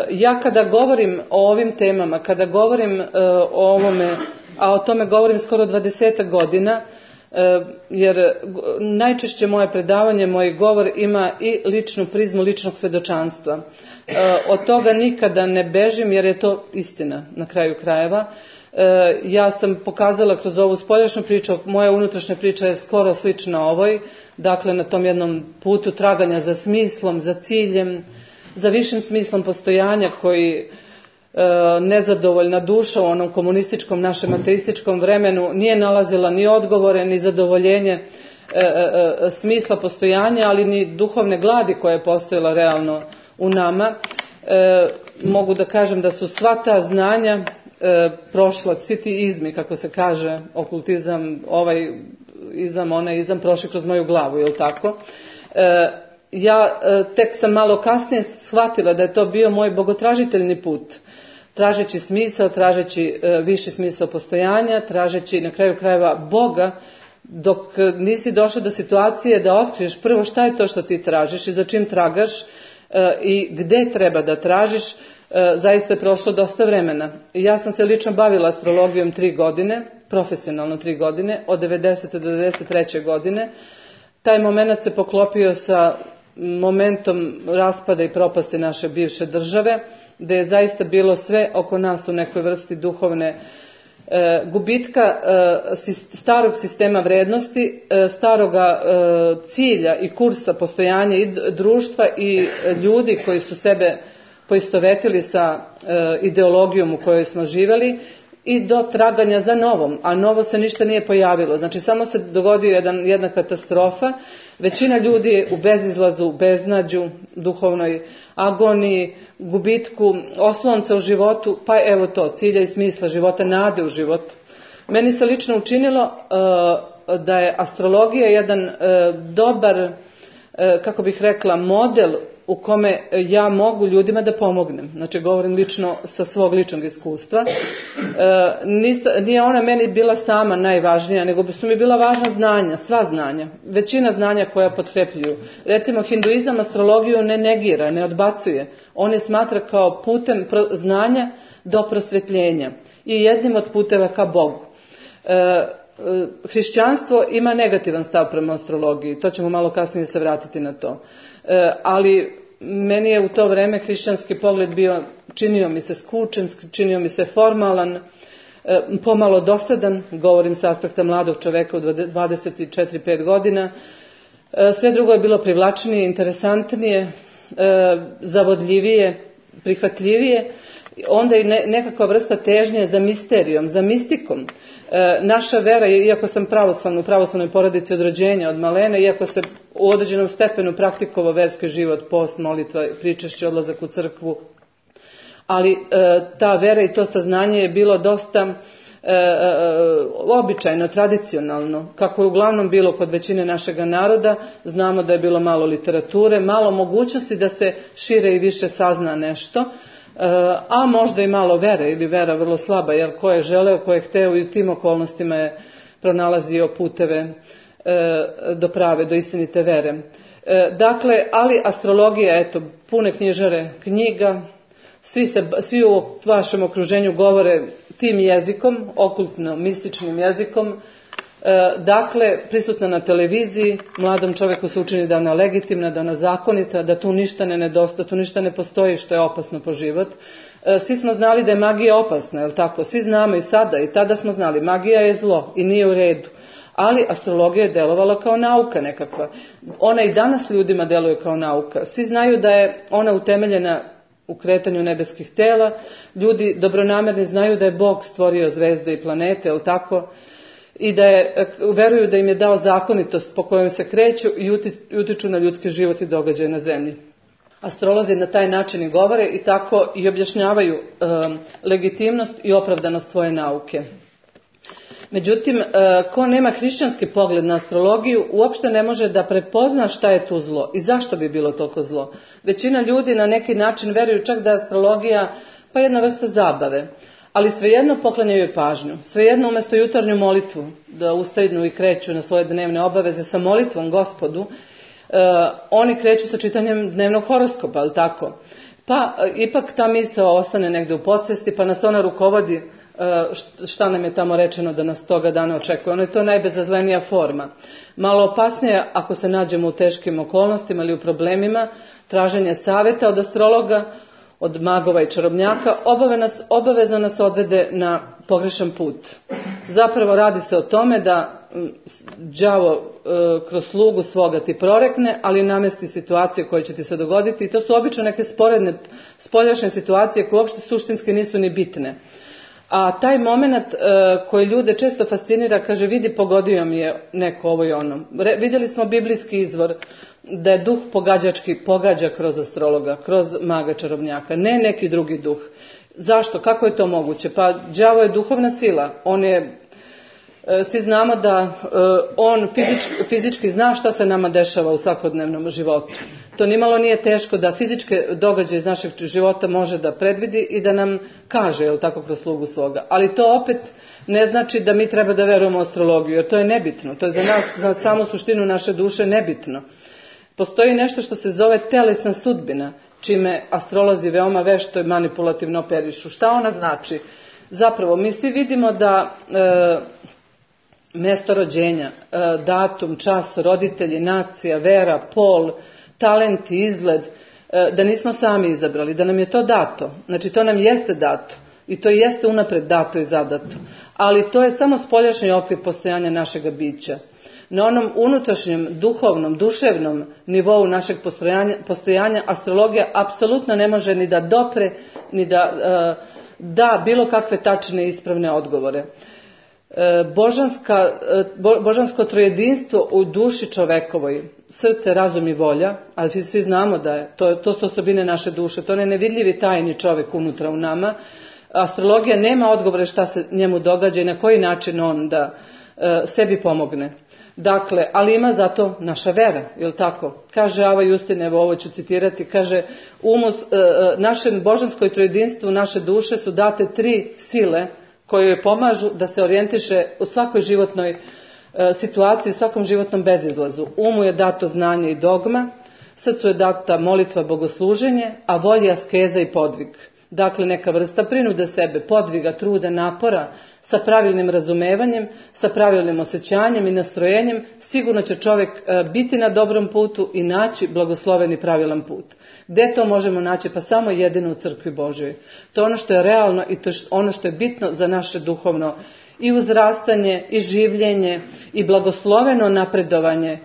ja kada govorim o ovim temama, kada govorim e, o ovome, a o tome govorim skoro dvadesetak godina, jer najčešće moje predavanje, moj govor ima i ličnu prizmu ličnog svedočanstva. Od toga nikada ne bežim jer je to istina na kraju krajeva. Ja sam pokazala kroz ovu spoljašnju priču, moja unutrašnja priča je skoro slična ovoj, dakle na tom jednom putu traganja za smislom, za ciljem, za višim smislom postojanja koji nezadovoljna duša u onom komunističkom našem ateističkom vremenu nije nalazila ni odgovore, ni zadovoljenje e, e, smisla postojanja, ali ni duhovne gladi koja je postojala realno u nama. E, mogu da kažem da su sva ta znanja e, prošla, svi ti izmi, kako se kaže, okultizam, ovaj izam, onaj izam, prošli kroz moju glavu, je li tako? E, ja e, tek sam malo kasnije shvatila da je to bio moj bogotražiteljni put. Tražeći smisao, tražeći e, viši smisao postojanja, tražeći na kraju krajeva Boga, dok nisi došao do situacije da otkriješ prvo šta je to što ti tražiš i za čim tragaš e, i gde treba da tražiš, e, zaista je prošlo dosta vremena. Ja sam se lično bavila astrologijom tri godine, profesionalno tri godine, od devedesete do devedeset treće godine. Taj moment se poklopio sa momentom raspada i propasti naše bivše države, gdje je zaista bilo sve oko nas u nekoj vrsti duhovne e, gubitka e, starog sistema vrednosti, e, staroga e, cilja i kursa postojanja i društva i ljudi koji su sebe poistovetili sa e, ideologijom u kojoj smo živjeli i do traganja za novom, a novo se ništa nije pojavilo. Znači samo se dogodio jedan, jedna katastrofa. Većina ljudi je u bezizlazu, u beznađu, duhovnoj agoniji, gubitku oslonca u životu, pa evo to, cilja i smisla života, nade u život. Meni se lično učinilo uh, da je astrologija jedan uh, dobar, uh, kako bih rekla, model u kome ja mogu ljudima da pomognem. Znači, govorim lično sa svog ličnog iskustva. E, nisa, nije ona meni bila sama najvažnija, nego su mi bila važna znanja, sva znanja. Većina znanja koja potkrepljuju. Recimo, hinduizam astrologiju ne negira, ne odbacuje. On je smatra kao putem znanja do prosvetljenja i jednim od puteva ka Bogu. E, hrišćanstvo ima negativan stav prema astrologiji, to ćemo malo kasnije se vratiti na to. E, ali meni je u to vreme hrišćanski pogled bio, činio mi se skučen, činio mi se formalan, pomalo dosadan, govorim s aspekta mladog čoveka od dvadeset četiri pet godina. Sve drugo je bilo privlačnije, interesantnije, zavodljivije, prihvatljivije. Onda i nekakva vrsta težnje za misterijom, za mistikom. Naša vera, iako sam pravoslavna, u pravoslavnoj porodici od rođenja, od malene, iako se u određenom stepenu praktikovao verski život, post, molitva, pričešće, odlazak u crkvu, ali ta vera i to saznanje je bilo dosta E, e, običajno, tradicionalno, kako je uglavnom bilo kod većine našega naroda. Znamo da je bilo malo literature, malo mogućnosti da se šire i više sazna nešto, e, a možda i malo vere, ili vera vrlo slaba, jer ko je želeo, ko je hteo i u tim okolnostima je pronalazio puteve e, do prave, do istinite vere. E, dakle, ali astrologija, eto, pune knjižare knjiga, svi, se, svi u vašem okruženju govore tim jezikom, okultno, mističnim jezikom. E, dakle, prisutna na televiziji, mladom čovjeku se učini da ona legitimna, da ona zakonita, da tu ništa ne nedostaje, tu ništa ne postoji što je opasno po život. E, svi smo znali da je magija opasna, je li tako? Svi znamo i sada, i tada smo znali, magija je zlo i nije u redu. Ali astrologija je delovala kao nauka nekakva. Ona i danas ljudima deluje kao nauka. Svi znaju da je ona utemeljena u kretanju nebeskih tela. Ljudi dobronamerni znaju da je Bog stvorio zvezde i planete, jel tako? I da je, veruju da im je dao zakonitost po kojoj se kreću i utiču na ljudski život i događaje na zemlji. Astrolozi na taj način i govore i tako i objašnjavaju um, legitimnost i opravdanost svoje nauke. Međutim, ko nema hrišćanski pogled na astrologiju, uopšte ne može da prepozna šta je tu zlo i zašto bi bilo toliko zlo. Većina ljudi na neki način veruju čak da je astrologija pa jedna vrsta zabave, ali svejedno poklanjaju joj pažnju. Svejedno umjesto jutarnju molitvu, da ustajnu i kreću na svoje dnevne obaveze sa molitvom Gospodu, oni kreću sa čitanjem dnevnog horoskopa, ali tako? Pa ipak ta misao ostane negdje u podsvesti, pa nas ona rukovodi šta nam je tamo rečeno da nas toga dana očekuje. Ono je to najbezazlenija forma. Malo opasnije ako se nađemo u teškim okolnostima ili u problemima, traženje savjeta od astrologa, od magova i čarobnjaka, nas, obavezno nas odvede na pogrešan put. Zapravo radi se o tome da đavo e, kroz slugu svoga ti prorekne, ali namesti situacije koje će ti se dogoditi i to su obično neke sporedne, spoljašnje situacije koje uopšte suštinski nisu ni bitne. A taj moment e, koji ljude često fascinira, kaže vidi pogodio mi je neko ovo i ono. Re, vidjeli smo biblijski izvor da je duh pogađački pogađa kroz astrologa, kroz maga čarobnjaka, ne neki drugi duh. Zašto? Kako je to moguće? Pa đavo je duhovna sila, on je, e, svi znamo da e, on fizički, fizički zna šta se nama dešava u svakodnevnom životu. To nimalo nije teško da fizičke događaje iz našeg života može da predvidi i da nam kaže, jel tako, kroz slugu svoga. Ali to opet ne znači da mi treba da verujemo u astrologiju, jer to je nebitno. To je za nas, za samu suštinu naše duše nebitno. Postoji nešto što se zove telesna sudbina, čime astrolozi veoma vešto i manipulativno operišu. Šta ona znači? Zapravo, mi svi vidimo da e, mjesto rođenja, e, datum, čas, roditelji, nacija, vera, pol, talent i izgled, da nismo sami izabrali, da nam je to dato. Znači to nam jeste dato i to jeste unapred dato i zadato. Ali to je samo spoljašnji okvir postojanja našega bića. Na onom unutrašnjem, duhovnom, duševnom nivou našeg postojanja, postojanja astrologija apsolutno ne može ni da dopre, ni da uh, da bilo kakve tačne i ispravne odgovore. Božanska, božansko trojedinstvo u duši čovekovoj, srce, razum i volja, ali svi znamo da je, to, to su osobine naše duše, to je nevidljivi tajni čovjek unutra u nama. Astrologija nema odgovore šta se njemu događa i na koji način on da e, sebi pomogne. Dakle, ali ima zato naša vera, jel tako? Kaže Ava Justin, evo ovo ću citirati, kaže umus, e, našem božanskoj trojedinstvu, naše duše su date tri sile koje joj pomažu da se orijentiše u svakoj životnoj e, situaciji, u svakom životnom bezizlazu. Umu je dato znanje i dogma, srcu je data molitva, bogosluženje, a volji askeza i podvig. Dakle, neka vrsta prinude sebe, podviga, truda, napora, sa pravilnim razumevanjem, sa pravilnim osjećanjem i nastrojenjem, sigurno će čovjek biti na dobrom putu i naći blagosloven i pravilan put. Gdje to možemo naći? Pa samo jedino u crkvi Božjoj. To je ono što je realno i to je ono što je bitno za naše duhovno i uzrastanje, i življenje, i blagosloveno napredovanje,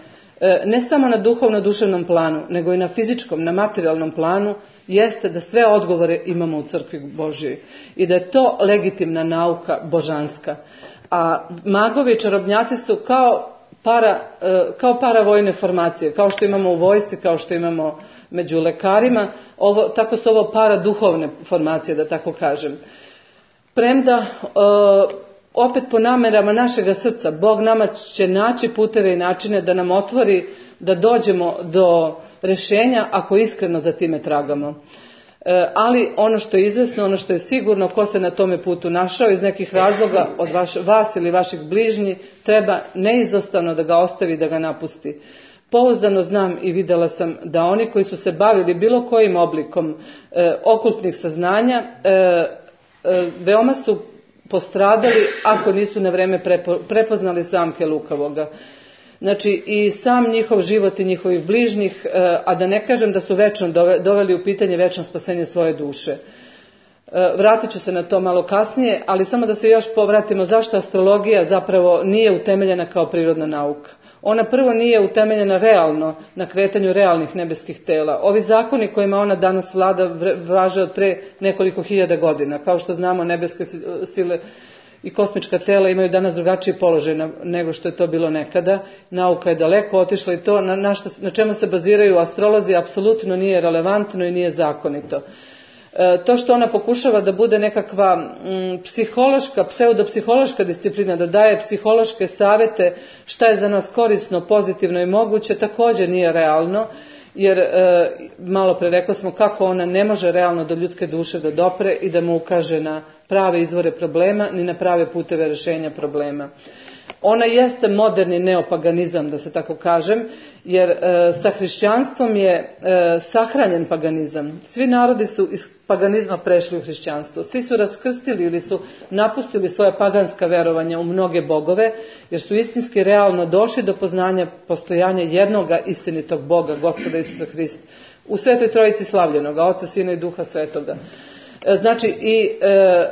ne samo na duhovno-duševnom planu, nego i na fizičkom, na materijalnom planu, jeste da sve odgovore imamo u crkvi Božjoj i da je to legitimna nauka božanska. A magovi i čarobnjaci su kao para, kao paravojne formacije, kao što imamo u vojsci, kao što imamo među lekarima, ovo, tako su ovo paraduhovne formacije, da tako kažem. Premda, opet po namerama našega srca, Bog nama će naći puteve i načine da nam otvori, da dođemo do rješenja ako iskreno za time tragamo. E, ali ono što je izvesno, ono što je sigurno, ko se na tome putu našao iz nekih razloga od vaš, vas ili vaših bližnji, treba neizostavno da ga ostavi, da ga napusti. Pouzdano znam i vidjela sam da oni koji su se bavili bilo kojim oblikom e, okultnih saznanja, e, e, veoma su postradali ako nisu na vrijeme prepo, prepoznali zamke lukavoga. Znači i sam njihov život i njihovih bližnjih, a da ne kažem da su večno doveli u pitanje večno spasenje svoje duše. Vratit ću se na to malo kasnije, ali samo da se još povratimo zašto astrologija zapravo nije utemeljena kao prirodna nauka. Ona prvo nije utemeljena realno, na kretanju realnih nebeskih tela. Ovi zakoni kojima ona danas vlada važe od pre nekoliko hiljada godina. Kao što znamo, nebeske sile i kosmička tela imaju danas drugačiji položaj nego što je to bilo nekada. Nauka je daleko otišla i to na, na, što, na čemu se baziraju astrolozi apsolutno nije relevantno i nije zakonito. E, to što ona pokušava da bude nekakva m, psihološka, pseudopsihološka disciplina, da daje psihološke savjete šta je za nas korisno, pozitivno i moguće, također nije realno. Jer e, malo pre rekli smo kako ona ne može realno do ljudske duše da dopre i da mu ukaže na prave izvore problema ni na prave puteve rješenja problema. Ona jeste moderni neopaganizam, da se tako kažem, jer e, sa hrišćanstvom je e, sahranjen paganizam. Svi narodi su iz paganizma prešli u hrišćanstvo. Svi su raskrstili ili su napustili svoja paganska verovanja u mnoge bogove, jer su istinski realno došli do poznanja postojanja jednoga istinitog Boga, Gospoda Isusa Hrista, u Svetoj Trojici slavljenoga, Oca, Sina i Duha Svetoga. E, znači i e,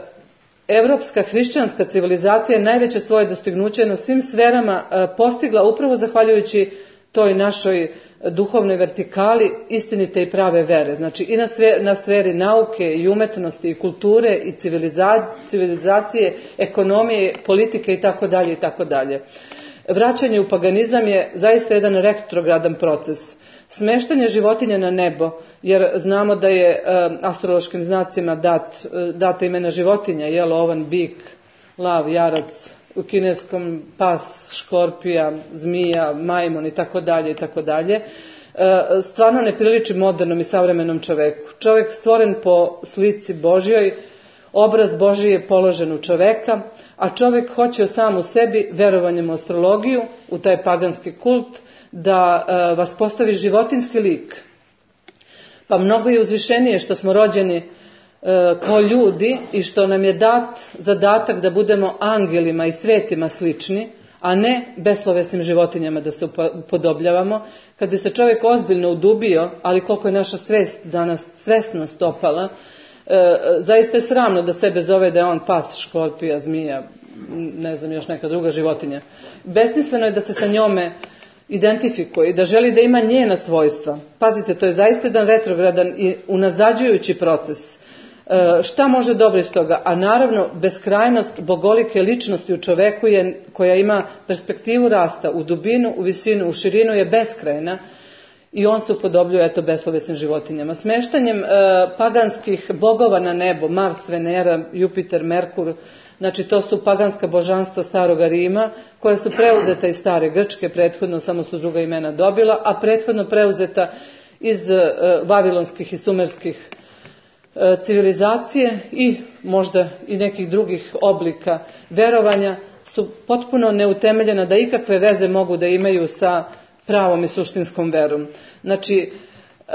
Evropska hrišćanska civilizacija je najveće svoje dostignuće na svim sferama postigla upravo zahvaljujući toj našoj duhovnoj vertikali istinite i prave vere. Znači i na, sve, na sferi nauke i umetnosti i kulture i civiliza, civilizacije, ekonomije, politike i tako dalje i tako dalje. Vraćanje u paganizam je zaista jedan retrogradan proces. Smeštanje životinja na nebo, jer znamo da je e, astrološkim znacima dat, e, data imena životinja, jel, ovan, bik, lav, jarac, u kineskom pas, škorpija, zmija, majmun i tako dalje i tako dalje. Stvarno ne priliči modernom i savremenom čoveku. Čovjek stvoren po slici Božjoj, obraz Božji je položen u čoveka, a čovjek hoće sam u sebi, verovanjem u astrologiju, u taj paganski kult, da e, vas postavi životinski lik. Pa mnogo je uzvišenije što smo rođeni e, kao ljudi i što nam je dat zadatak da budemo angelima i svetima slični, a ne beslovesnim životinjama da se upodobljavamo. Kad bi se čovjek ozbiljno udubio, ali koliko je naša svest danas, svesnost opala, e, zaista je sramno da sebe zove da je on pas, škorpija, zmija, ne znam, još neka druga životinja. Besmisleno je da se sa njome identifikuje i da želi da ima njena svojstva. Pazite, to je zaista jedan retrogradan i unazađujući proces. E, šta može dobro iz toga? A naravno, beskrajnost bogolike ličnosti u čoveku je, koja ima perspektivu rasta u dubinu, u visinu, u širinu je beskrajna i on se upodobljuje eto beslovesnim životinjama. Smeštanjem e, paganskih bogova na nebo, Mars, Venera, Jupiter, Merkur, znači to su paganska božanstva staroga Rima, koja su preuzeta iz stare Grčke, prethodno samo su druga imena dobila, a prethodno preuzeta iz e, vavilonskih i sumerskih e, civilizacije i možda i nekih drugih oblika verovanja, su potpuno neutemeljena da ikakve veze mogu da imaju sa pravom i suštinskom verom. Znači, e,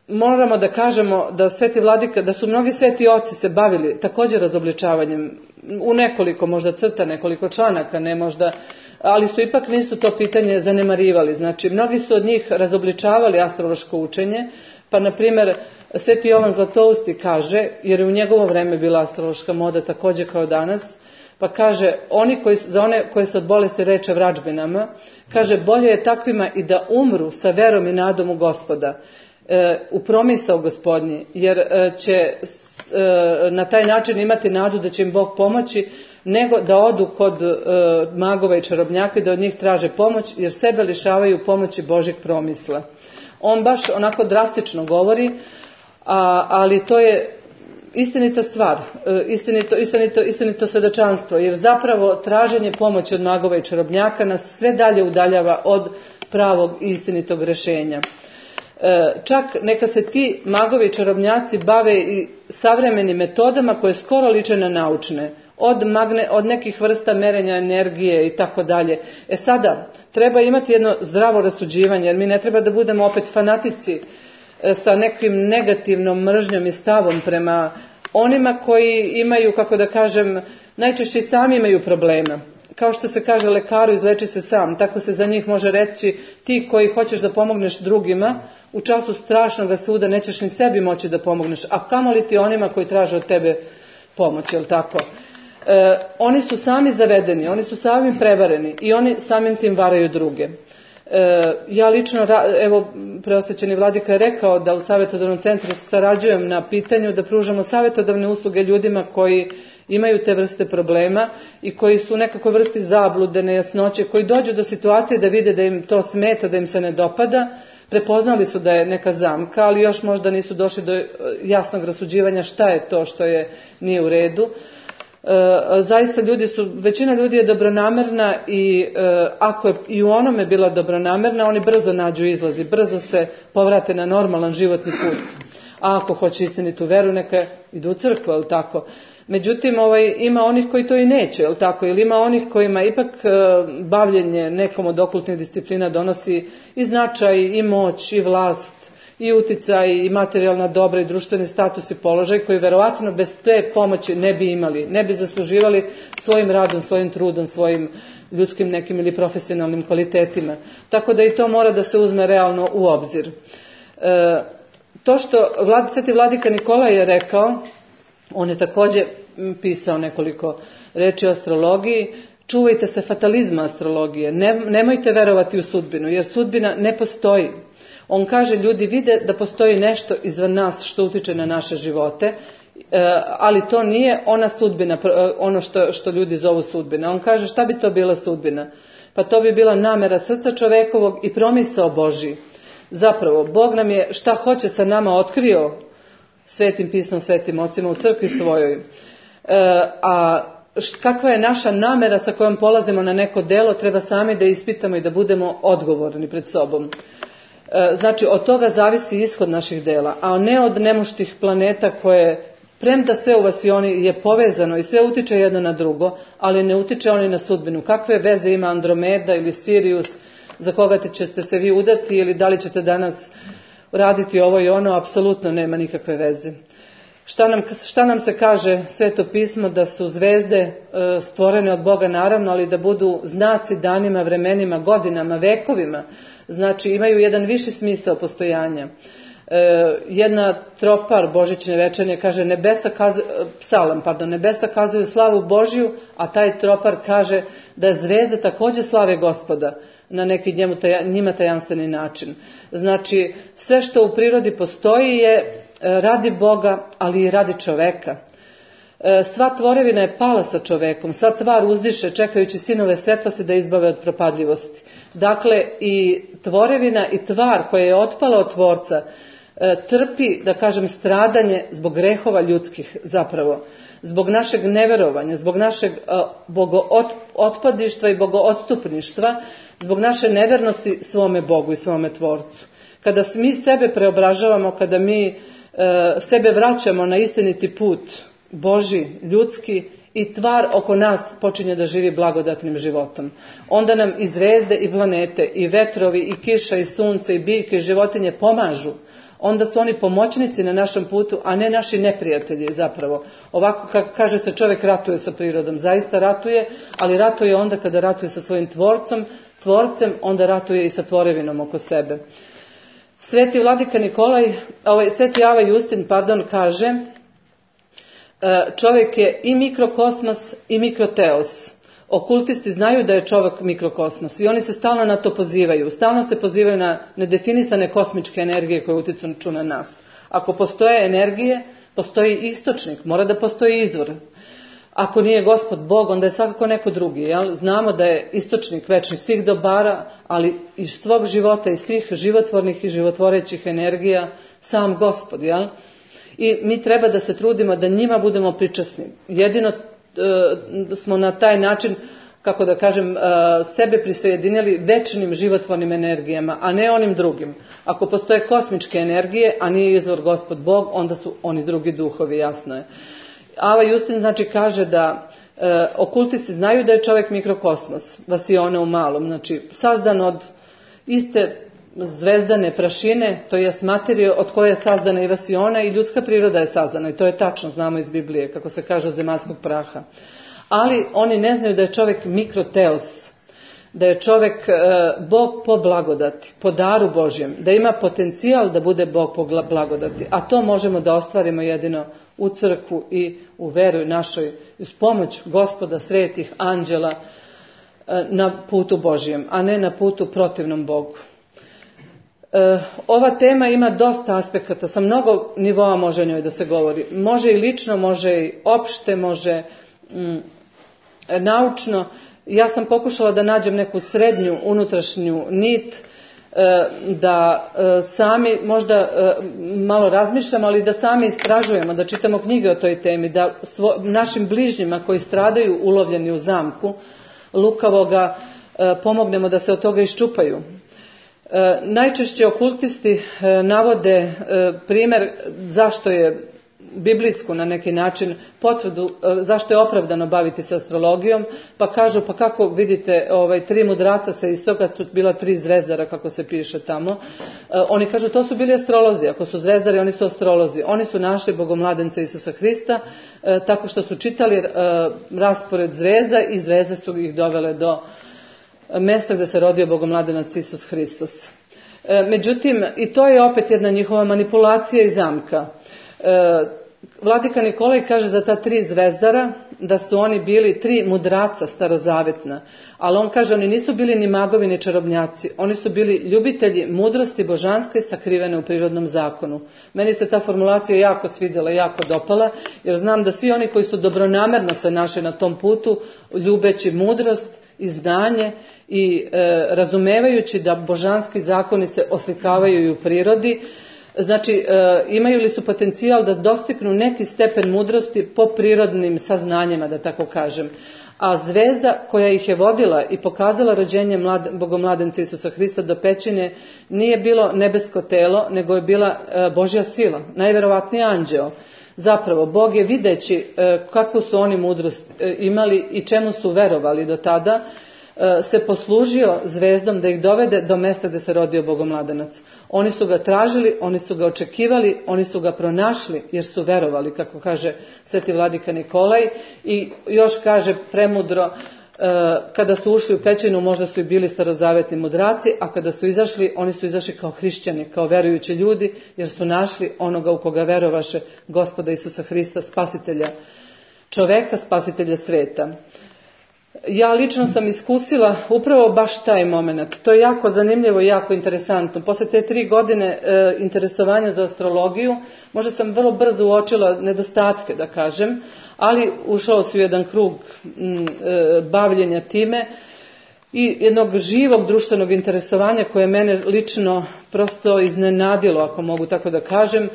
moramo da kažemo da sveti vladika, da su mnogi sveti oci se bavili također razobličavanjem u nekoliko možda crta, nekoliko članaka, ne možda, ali su ipak nisu to pitanje zanemarivali. Znači, mnogi su od njih razobličavali astrološko učenje, pa na primjer sveti Jovan Zlatousti kaže, jer je u njegovo vreme bila astrološka moda također kao danas, pa kaže, oni koji, za one koji se od bolesti reče vrađbinama, kaže, bolje je takvima i da umru sa verom i nadom u Gospoda, e, u promisao Gospodnji, jer e, će e, na taj način imati nadu da će im Bog pomoći, nego da odu kod e, magova i čarobnjaka i da od njih traže pomoć, jer sebe lišavaju pomoći Božjeg promisla. On baš onako drastično govori, a, ali to je istinita stvar, istinito, istinito, istinito svedočanstvo, jer zapravo traženje pomoći od magova i čarobnjaka nas sve dalje udaljava od pravog i istinitog rješenja. Čak neka se ti magovi i čarobnjaci bave i savremenim metodama koje skoro liče na naučne, od, magne, od nekih vrsta merenja energije i tako dalje. E sada, treba imati jedno zdravo rasuđivanje, jer mi ne treba da budemo opet fanatici sa nekim negativnom mržnjom i stavom prema onima koji imaju, kako da kažem, najčešće sami imaju problema. Kao što se kaže lekaru, izleči se sam, tako se za njih može reći, ti koji hoćeš da pomogneš drugima, u času strašnog suda nećeš ni sebi moći da pomogneš, a kamoli ti onima koji traže od tebe pomoć, jel tako? E, oni su sami zavedeni, oni su sami prevareni i oni samim tim varaju druge. E, ja lično, evo, preosvećeni vladika je rekao da u savjetodavnom centru sarađujem na pitanju da pružamo savjetodavne usluge ljudima koji imaju te vrste problema i koji su u nekakvoj vrsti zablude, nejasnoće, koji dođu do situacije da vide da im to smeta, da im se ne dopada, prepoznali su da je neka zamka, ali još možda nisu došli do jasnog rasuđivanja šta je to što je nije u redu. E, zaista ljudi su, većina ljudi je dobronamerna i e, ako je i u onome bila dobronamerna, oni brzo nađu izlazi, brzo se povrate na normalan životni put. A ako hoće istinitu veru, neka idu u crkvu, ali tako. Međutim, ovaj, ima onih koji to i neće, jel tako? Ili ima onih kojima ipak e, bavljenje nekom od okultnih disciplina donosi i značaj, i moć, i vlast, i uticaj, i materijalna dobra, i društveni status i položaj, koji verovatno bez te pomoći ne bi imali, ne bi zasluživali svojim radom, svojim trudom, svojim ljudskim nekim ili profesionalnim kvalitetima. Tako da i to mora da se uzme realno u obzir. E, to što vlad, sveti vladika Nikolaj je rekao, on je također pisao nekoliko reči o astrologiji, čuvajte se fatalizma astrologije, ne, nemojte verovati u sudbinu, jer sudbina ne postoji. On kaže, ljudi vide da postoji nešto izvan nas što utiče na naše živote, ali to nije ona sudbina, ono što, što ljudi zovu sudbina. On kaže, šta bi to bila sudbina? Pa to bi bila namera srca čovekovog i promisao Božji. Zapravo, Bog nam je šta hoće sa nama otkrio svetim pismom, svetim ocima u crkvi svojoj. E, a kakva je naša namera sa kojom polazimo na neko delo, treba sami da ispitamo i da budemo odgovorni pred sobom. E, znači, od toga zavisi ishod naših dela, a ne od nemuštih planeta koje, premda sve u vasioni je povezano i sve utiče jedno na drugo, ali ne utiče oni na sudbinu. Kakve veze ima Andromeda ili Sirius, za koga ćete se vi udati ili da li ćete danas raditi ovo i ono, apsolutno nema nikakve veze. Šta nam, šta nam se kaže Sveto pismo? Da su zvezde e, stvorene od Boga naravno, ali da budu znaci danima, vremenima, godinama, vekovima. Znači imaju jedan viši smisao postojanja. E, jedna tropar božićne večernje kaže nebesa kazuju, psalam, pardon, nebesa kazuju slavu Božju, a taj tropar kaže da zvezde također slave Gospoda na neki njemu taja, njima tajanstveni način. Znači, sve što u prirodi postoji je radi Boga, ali i radi čoveka. Sva tvorevina je pala sa čovekom, sva tvar uzdiše čekajući sinove svetlosti da izbave od propadljivosti. Dakle, i tvorevina i tvar koja je otpala od tvorca trpi, da kažem, stradanje zbog grehova ljudskih zapravo. Zbog našeg neverovanja, zbog našeg bogootpadništva i bogoodstupništva, zbog naše nevernosti svome Bogu i svome Tvorcu. Kada mi sebe preobražavamo, kada mi e, sebe vraćamo na istiniti put, Božji, ljudski, i tvar oko nas počinje da živi blagodatnim životom. Onda nam i zvezde i planete, i vetrovi, i kiša, i sunce, i biljke, i životinje pomažu. onda su oni pomoćnici na našem putu, a ne naši neprijatelji zapravo. Ovako kako kaže se, čovjek ratuje sa prirodom, zaista ratuje, ali ratuje onda kada ratuje sa svojim tvorcem, tvorcem, onda ratuje i sa tvorevinom oko sebe. Sveti vladika Nikolaj, ovaj, Sveti Ava Justin, pardon, kaže, čovjek je i mikrokosmos i mikroteos. Okultisti znaju da je čovjek mikrokosmos i oni se stalno na to pozivaju. Stalno se pozivaju na nedefinisane kosmičke energije koje utiču na nas. Ako postoje energije, postoji istočnik, mora da postoji izvor. Ako nije Gospod Bog, onda je svakako neko drugi. Jel? Znamo da je istočnik večnih svih dobara, ali iz svog života i svih životvornih i životvorećih energija sam Gospod. Jel? I mi treba da se trudimo da njima budemo pričasni. Jedino e, smo na taj način, kako da kažem, e, sebe prisajedinili večnim životvornim energijama, a ne onim drugim. Ako postoje kosmičke energije, a nije izvor Gospod Bog, onda su oni drugi duhovi, jasno je. Ava Justin znači kaže da e, okultisti znaju da je čovjek mikrokosmos, vasione u malom, znači sazdan od iste zvezdane prašine, to jest materije od koje je sazdana i vasiona, i ljudska priroda je sazdana, i to je tačno, znamo iz Biblije, kako se kaže, od zemaljskog praha. Ali oni ne znaju da je čovjek mikroteos, da je čovjek e, Bog po blagodati, po daru Božjem, da ima potencijal da bude Bog po blagodati, a to možemo da ostvarimo jedino u crkvu i u veru našoj, uz pomoć Gospoda, svetih anđela, e, na putu Božjem, a ne na putu protivnom Bogu. E, ova tema ima dosta aspekata, sa mnogo nivoa može njoj da se govori. Može i lično, može i opšte, može mm, naučno. Ja sam pokušala da nađem neku srednju unutrašnju nit, e, da e, sami možda e, malo razmišljamo, ali da sami istražujemo, da čitamo knjige o toj temi, da svo, našim bližnjima koji stradaju ulovljeni u zamku lukavoga e, pomognemo da se od toga iščupaju. E, najčešće okultisti e, navode e, primjer zašto je biblijsku na neki način potvrdu, e, zašto je opravdano baviti se astrologijom, pa kažu, pa kako vidite, ovaj, tri mudraca sa istoka su bila tri zvezdara, kako se piše tamo. E, oni kažu, to su bili astrolozi, ako su zvezdari, oni su astrolozi. Oni su našli bogomladence Isusa Hrista, e, tako što su čitali e, raspored zvezda i zvezde su ih dovele do mjesta gdje se rodio bogomladenac Isus Hristos. E, međutim, i to je opet jedna njihova manipulacija i zamka. E, Vladika Nikolaj kaže za ta tri zvezdara da su oni bili tri mudraca starozavjetna, ali on kaže oni nisu bili ni magovi ni čarobnjaci, oni su bili ljubitelji mudrosti božanske sakrivene u prirodnom zakonu. Meni se ta formulacija jako svidjela, jako dopala, jer znam da svi oni koji su dobronamerno se našli na tom putu, ljubeći mudrost i znanje i e, razumevajući da božanski zakoni se oslikavaju i u prirodi, znači e, imaju li su potencijal da dostignu neki stepen mudrosti po prirodnim saznanjima, da tako kažem. A zvezda koja ih je vodila i pokazala rođenje mlad, bogomladenca Isusa Hrista do pećine nije bilo nebesko telo, nego je bila e, Božja sila, najvjerovatniji anđeo. Zapravo, Bog je videći e, kakvu su oni mudrost e, imali i čemu su verovali do tada, e, se poslužio zvezdom da ih dovede do mjesta gdje se rodio bogomladenac. Oni su ga tražili, oni su ga očekivali, oni su ga pronašli jer su verovali, kako kaže sveti vladika Nikolaj, i još kaže premudro, kada su ušli u pećinu možda su i bili starozavetni mudraci, a kada su izašli, oni su izašli kao hrišćani, kao verujući ljudi, jer su našli onoga u koga verovaše, Gospoda Isusa Hrista, spasitelja čoveka, spasitelja sveta. Ja lično sam iskusila upravo baš taj moment. To je jako zanimljivo i jako interesantno. Poslije te tri godine e, interesovanja za astrologiju, možda sam vrlo brzo uočila nedostatke, da kažem, ali ušao si u jedan krug m, e, bavljenja time i jednog živog društvenog interesovanja koje mene lično prosto iznenadilo, ako mogu tako da kažem,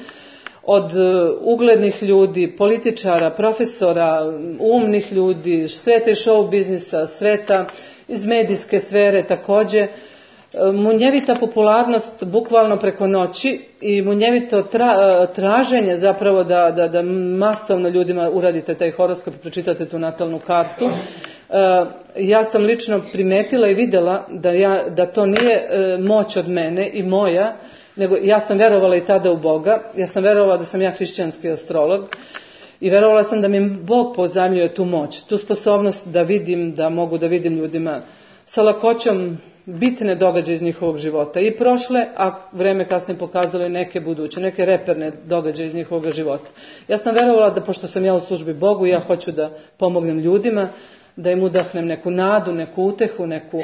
od uglednih ljudi, političara, profesora, umnih ljudi, sveta iz show biznisa, sveta iz medijske sfere također. Munjevita popularnost bukvalno preko noći i munjevito tra, traženje zapravo da, da, da masovno ljudima uradite taj horoskop i pročitate tu natalnu kartu. Ja sam lično primetila i vidjela da, ja, da to nije moć od mene i moja, nego ja sam verovala i tada u Boga, ja sam verovala da sam ja hrišćanski astrolog i verovala sam da mi Bog pozajmljuje tu moć, tu sposobnost da vidim, da mogu da vidim ljudima sa lakoćom bitne događaje iz njihovog života. I prošle, a vreme kasnije pokazalo i neke buduće, neke reperne događaje iz njihovog života. Ja sam verovala da pošto sam ja u službi Bogu, ja hoću da pomognem ljudima, da im udahnem neku nadu, neku utehu, neku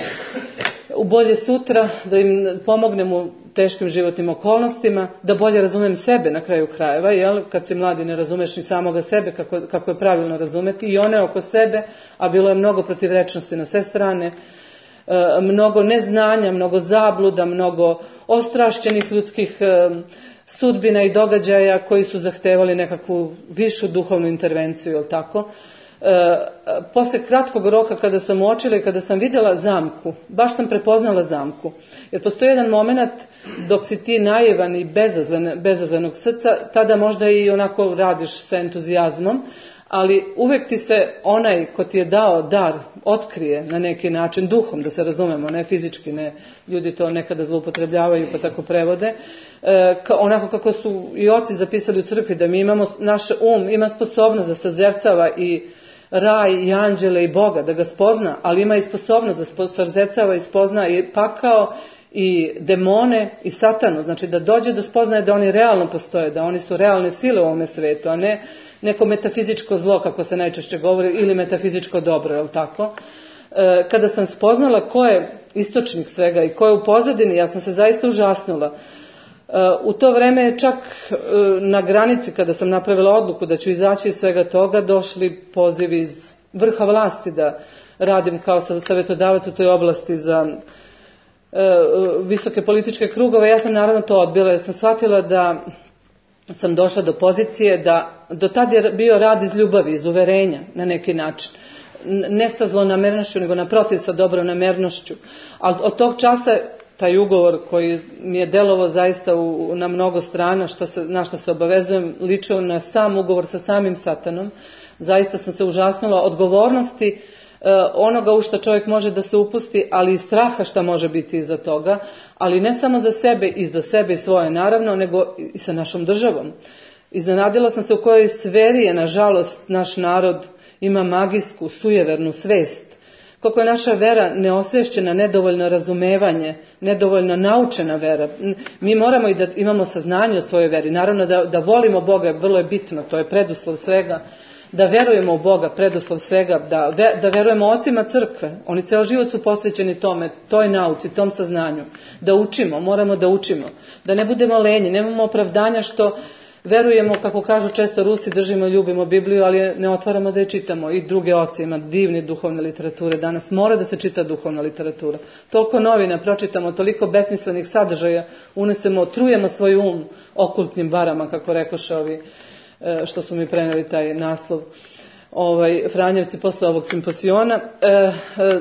u bolje sutra, da im pomognem u teškim životnim okolnostima, da bolje razumem sebe na kraju krajeva, jel? Kad si mladi ne razumeš ni samoga sebe kako, kako je pravilno razumeti i one oko sebe, a bilo je mnogo protivrečnosti na sve strane, e, mnogo neznanja, mnogo zabluda, mnogo ostrašćenih ljudskih e, sudbina i događaja koji su zahtevali nekakvu višu duhovnu intervenciju, jel tako? E, posle kratkog roka kada sam uočila i kada sam vidjela zamku, baš sam prepoznala zamku. Jer postoji jedan moment dok si ti naivan i bezazlen, bezazlenog srca, tada možda i onako radiš sa entuzijazmom, ali uvek ti se onaj ko ti je dao dar otkrije na neki način, duhom, da se razumemo, ne fizički, ne, ljudi to nekada zloupotrebljavaju pa tako prevode, e, ka, onako kako su i oci zapisali u crkvi, da mi imamo, naš um ima sposobnost da sazercava i raj i anđele i Boga, da ga spozna, ali ima i sposobnost da sazercava i spozna i pakao i demone i satanu, znači da dođe do spoznaje da oni realno postoje, da oni su realne sile u ovome svetu, a ne neko metafizičko zlo, kako se najčešće govori, ili metafizičko dobro, je li tako? E, kada sam spoznala ko je istočnik svega i ko je u pozadini, ja sam se zaista užasnula. E, u to vreme čak e, na granici, kada sam napravila odluku da ću izaći iz svega toga, došli pozivi iz vrha vlasti da radim kao savjetodavac u toj oblasti za e, visoke političke krugove. Ja sam naravno to odbila jer sam shvatila da sam došla do pozicije da do tad je bio rad iz ljubavi, iz uverenja na neki način. Ne sa zlonamernošću, nego naprotiv sa dobronamernošću. Ali od tog časa taj ugovor koji mi je delovao zaista u, na mnogo strana, što se, na što se obavezujem, ličio na sam ugovor sa samim satanom. Zaista sam se užasnula odgovornosti onoga u što čovjek može da se upusti, ali i straha šta može biti iza toga, ali ne samo za sebe i za sebe i svoje naravno, nego i sa našom državom. Iznenadila sam se u kojoj sferi je, nažalost, naš narod ima magijsku, sujevernu svest. Koliko je naša vera neosvešćena, nedovoljno razumevanje, nedovoljno naučena vera. Mi moramo i da imamo saznanje o svojoj veri. Naravno da, da volimo Boga, vrlo je bitno, to je preduslov svega. Da verujemo u Boga, preduslov svega, da, ve, da verujemo ocima crkve. Oni ceo život su posvećeni tome, toj nauci, tom saznanju. Da učimo, moramo da učimo. Da ne budemo lenji, nemamo opravdanja što verujemo, kako kažu često Rusi, držimo i ljubimo Bibliju, ali ne otvaramo da je čitamo. I druge oci, ima divne duhovne literature. Danas mora da se čita duhovna literatura. Toliko novina pročitamo, toliko besmislenih sadržaja unesemo, trujemo svoj um okultnim varama, kako rekoše ovi što su mi preneli taj naslov, ovaj, Franjevci posle ovog simpozijona. E, e,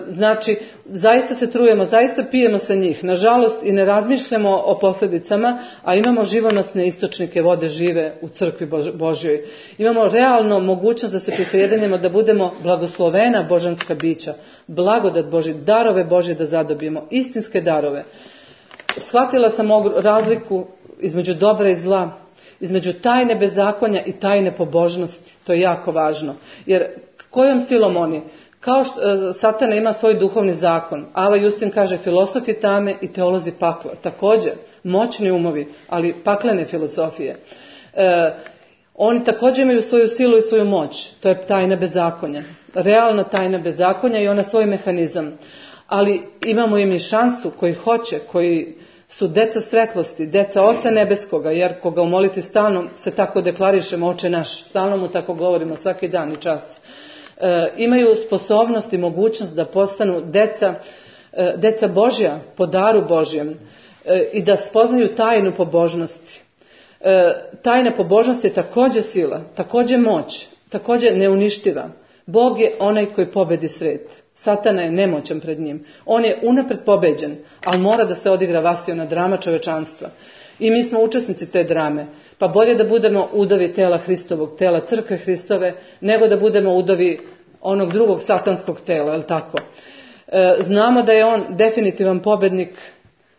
znači, zaista se trujemo, zaista pijemo sa njih. Nažalost, i ne razmišljamo o posljedicama, a imamo živonosne istočnike vode žive u crkvi Božjoj. Imamo realno mogućnost da se prisajedinimo, da budemo blagoslovena božanska bića, blagodat Božji, darove Božje da zadobijemo, istinske darove. Shvatila sam razliku između dobra i zla, između tajne bezakonja i tajne pobožnosti. To je jako važno. Jer kojom silom oni? Kao što Satana ima svoj duhovni zakon. Ava Justin kaže filosofi tame i teolozi pakla. Također, moćni umovi, ali paklene filosofije. E, oni također imaju svoju silu i svoju moć. To je tajna bezakonja. Realna tajna bezakonja i ona svoj mehanizam. Ali imamo im i šansu koji hoće, koji su deca svetlosti, deca Oca Nebeskoga, jer koga u molitvi stalno se tako deklarišemo, Oče naš, stalno mu tako govorimo svaki dan i čas, e, imaju sposobnost i mogućnost da postanu deca, e, deca Božja, po daru Božjem, e, i da spoznaju tajnu pobožnosti. E, tajna pobožnosti je također sila, također moć, također neuništiva. Bog je onaj koji pobedi svet. Satana je nemoćan pred njim. On je unapred pobeđen, ali mora da se odigra vasiona drama čovečanstva. I mi smo učesnici te drame. Pa bolje da budemo udovi tela Hristovog, tela crkve Hristove, nego da budemo udovi onog drugog satanskog tela, je li tako? E, znamo da je on definitivan pobednik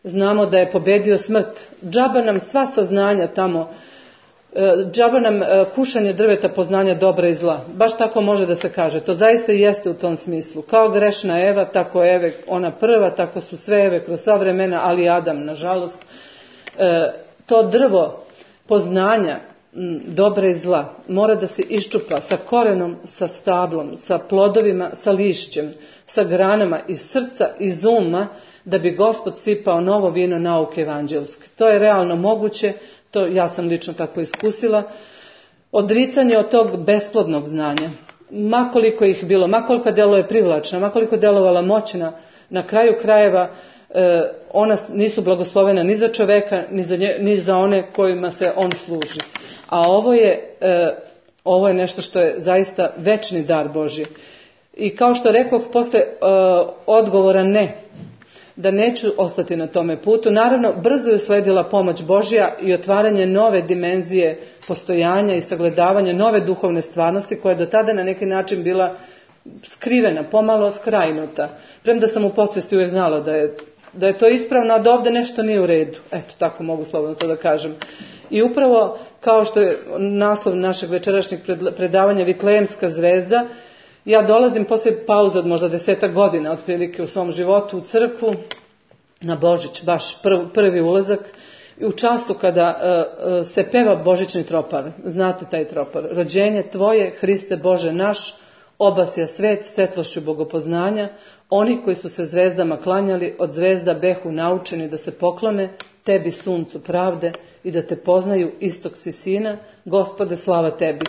znamo da je pobedio smrt. Džaba nam sva saznanja tamo, džaba nam kušanje drveta poznanja dobra i zla. Baš tako može da se kaže. To zaista i jeste u tom smislu. Kao grešna Eva, tako Eve, ona prva, tako su sve Eve kroz sva vremena, ali i Adam, nažalost. To drvo poznanja dobra i zla mora da se iščupa sa korenom, sa stablom, sa plodovima, sa lišćem, sa granama iz srca, iz uma, da bi Gospod sipao novo vino nauke evanđelske. To je realno moguće, to ja sam lično tako iskusila. Odricanje od tog besplodnog znanja, makoliko ih bilo, makoliko delo je privlačna, makoliko delovala moćna, na kraju krajeva ona nisu blagoslovena ni za čoveka, ni za, nje, ni za one kojima se on služi. A ovo je, ovo je nešto što je zaista večni dar Božji. I kao što rekoh, posle odgovora ne, da neću ostati na tome putu. Naravno, brzo je sledila pomoć Božja i otvaranje nove dimenzije postojanja i sagledavanje nove duhovne stvarnosti koja je do tada na neki način bila skrivena, pomalo skrajnuta. Premda sam u podsvesti uvijek znala da je, da je to ispravno, a da ovdje nešto nije u redu. Eto, tako mogu slobodno to da kažem. I upravo kao što je naslov našeg večerašnjeg predavanja Vitlejemska zvezda, ja dolazim poslije pauze od možda desetak godina otprilike u svom životu u crkvu na Božić, baš prv, prvi ulazak, i u času kada uh, uh, se peva božićni tropar. Znate taj tropar. Rođenje tvoje, Hriste Bože naš, obasja svet svetlošću bogopoznanja, oni koji su se zvezdama klanjali, od zvezda behu naučeni da se poklone tebi suncu pravde i da te poznaju istok si sina, Gospode slava tebi.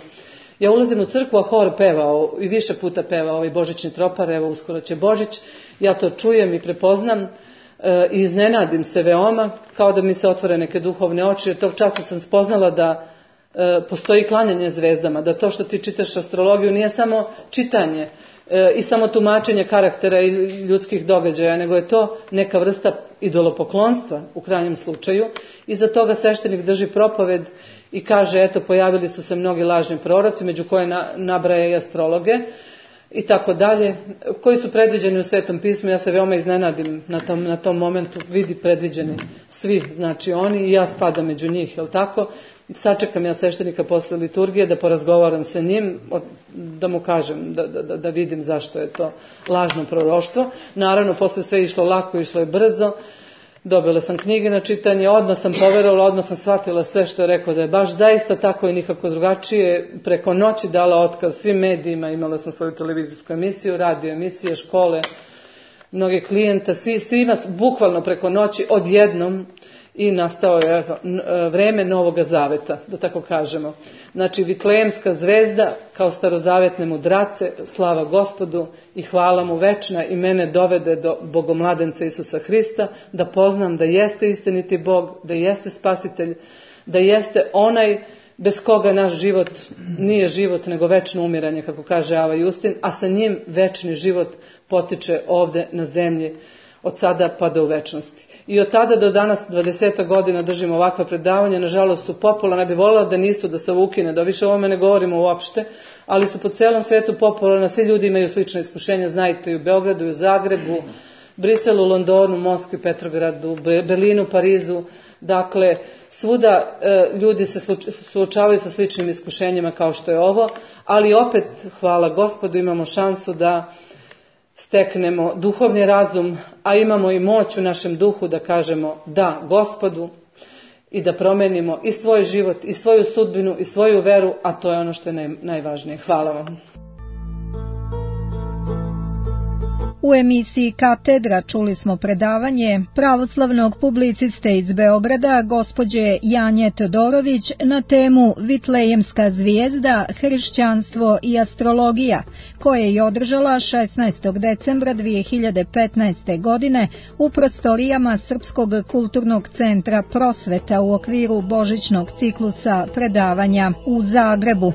Ja ulazim u crkvu, a hor peva i više puta peva ovaj božićni tropar, evo uskoro će Božić, ja to čujem i prepoznam e, i iznenadim se veoma, kao da mi se otvore neke duhovne oči, jer tog časa sam spoznala da e, postoji klanjanje zvezdama, da to što ti čitaš astrologiju nije samo čitanje e, i samo tumačenje karaktera i ljudskih događaja, nego je to neka vrsta idolopoklonstva u krajnjem slučaju. Iza toga sveštenik drži propoved i kaže, eto, pojavili su se mnogi lažni proroci, među koje na, nabraja i astrologe i tako dalje, koji su predviđeni u Svetom pismu. Ja se veoma iznenadim na tom, na tom momentu, vidi predviđeni svi, znači oni, i ja spadam među njih, jel tako? Sačekam ja sveštenika posle liturgije da porazgovaram sa njim, da mu kažem, da, da, da vidim zašto je to lažno proroštvo. Naravno, posle sve išlo lako, išlo je brzo. Dobila sam knjige na čitanje, odmah sam poverovala, odmah sam shvatila sve što je rekao da je baš zaista tako i nikako drugačije. Preko noći dala otkaz svim medijima, imala sam svoju televizijsku emisiju, radio emisije, škole, mnoge klijenta, svi, svi nas bukvalno preko noći odjednom i nastao je vreme Novoga Zaveta, da tako kažemo. Znači, Vitlejemska zvezda kao starozavetne mudrace, slava Gospodu i hvala mu večna, i mene dovede do Bogomladenca Isusa Hrista, da poznam da jeste istiniti Bog, da jeste spasitelj, da jeste onaj bez koga naš život nije život, nego večno umiranje, kako kaže Ava Justin, a sa njim večni život potiče ovde na zemlji, od sada pa do u večnosti. I od tada do danas, dvadeset godina, držimo ovakva predavanja, nažalost su popularna, ne bi voljela da nisu, da se ovo ukine, da više o ovome ne govorimo uopšte, ali su po celom svetu popularna, svi ljudi imaju slične iskušenja, znajte, i u Beogradu, i u Zagrebu, Briselu, Londonu, Moskvi, Petrogradu, Berlinu, Parizu, dakle, svuda e, ljudi se suočavaju sa sličnim iskušenjima kao što je ovo, ali opet, hvala Gospodu, imamo šansu da steknemo duhovni razum, a imamo i moć u našem duhu da kažemo da Gospodu i da promenimo i svoj život, i svoju sudbinu, i svoju veru, a to je ono što je naj, najvažnije. Hvala vam. U emisiji Katedra čuli smo predavanje pravoslavnog publiciste iz Beograda, gospođe Janje Todorović, na temu Vitlejemska zvijezda, hrišćanstvo i astrologija, koje je održala šesnaestog decembra dve hiljade petnaeste. godine u prostorijama Srpskog kulturnog centra Prosveta u okviru božićnog ciklusa predavanja u Zagrebu.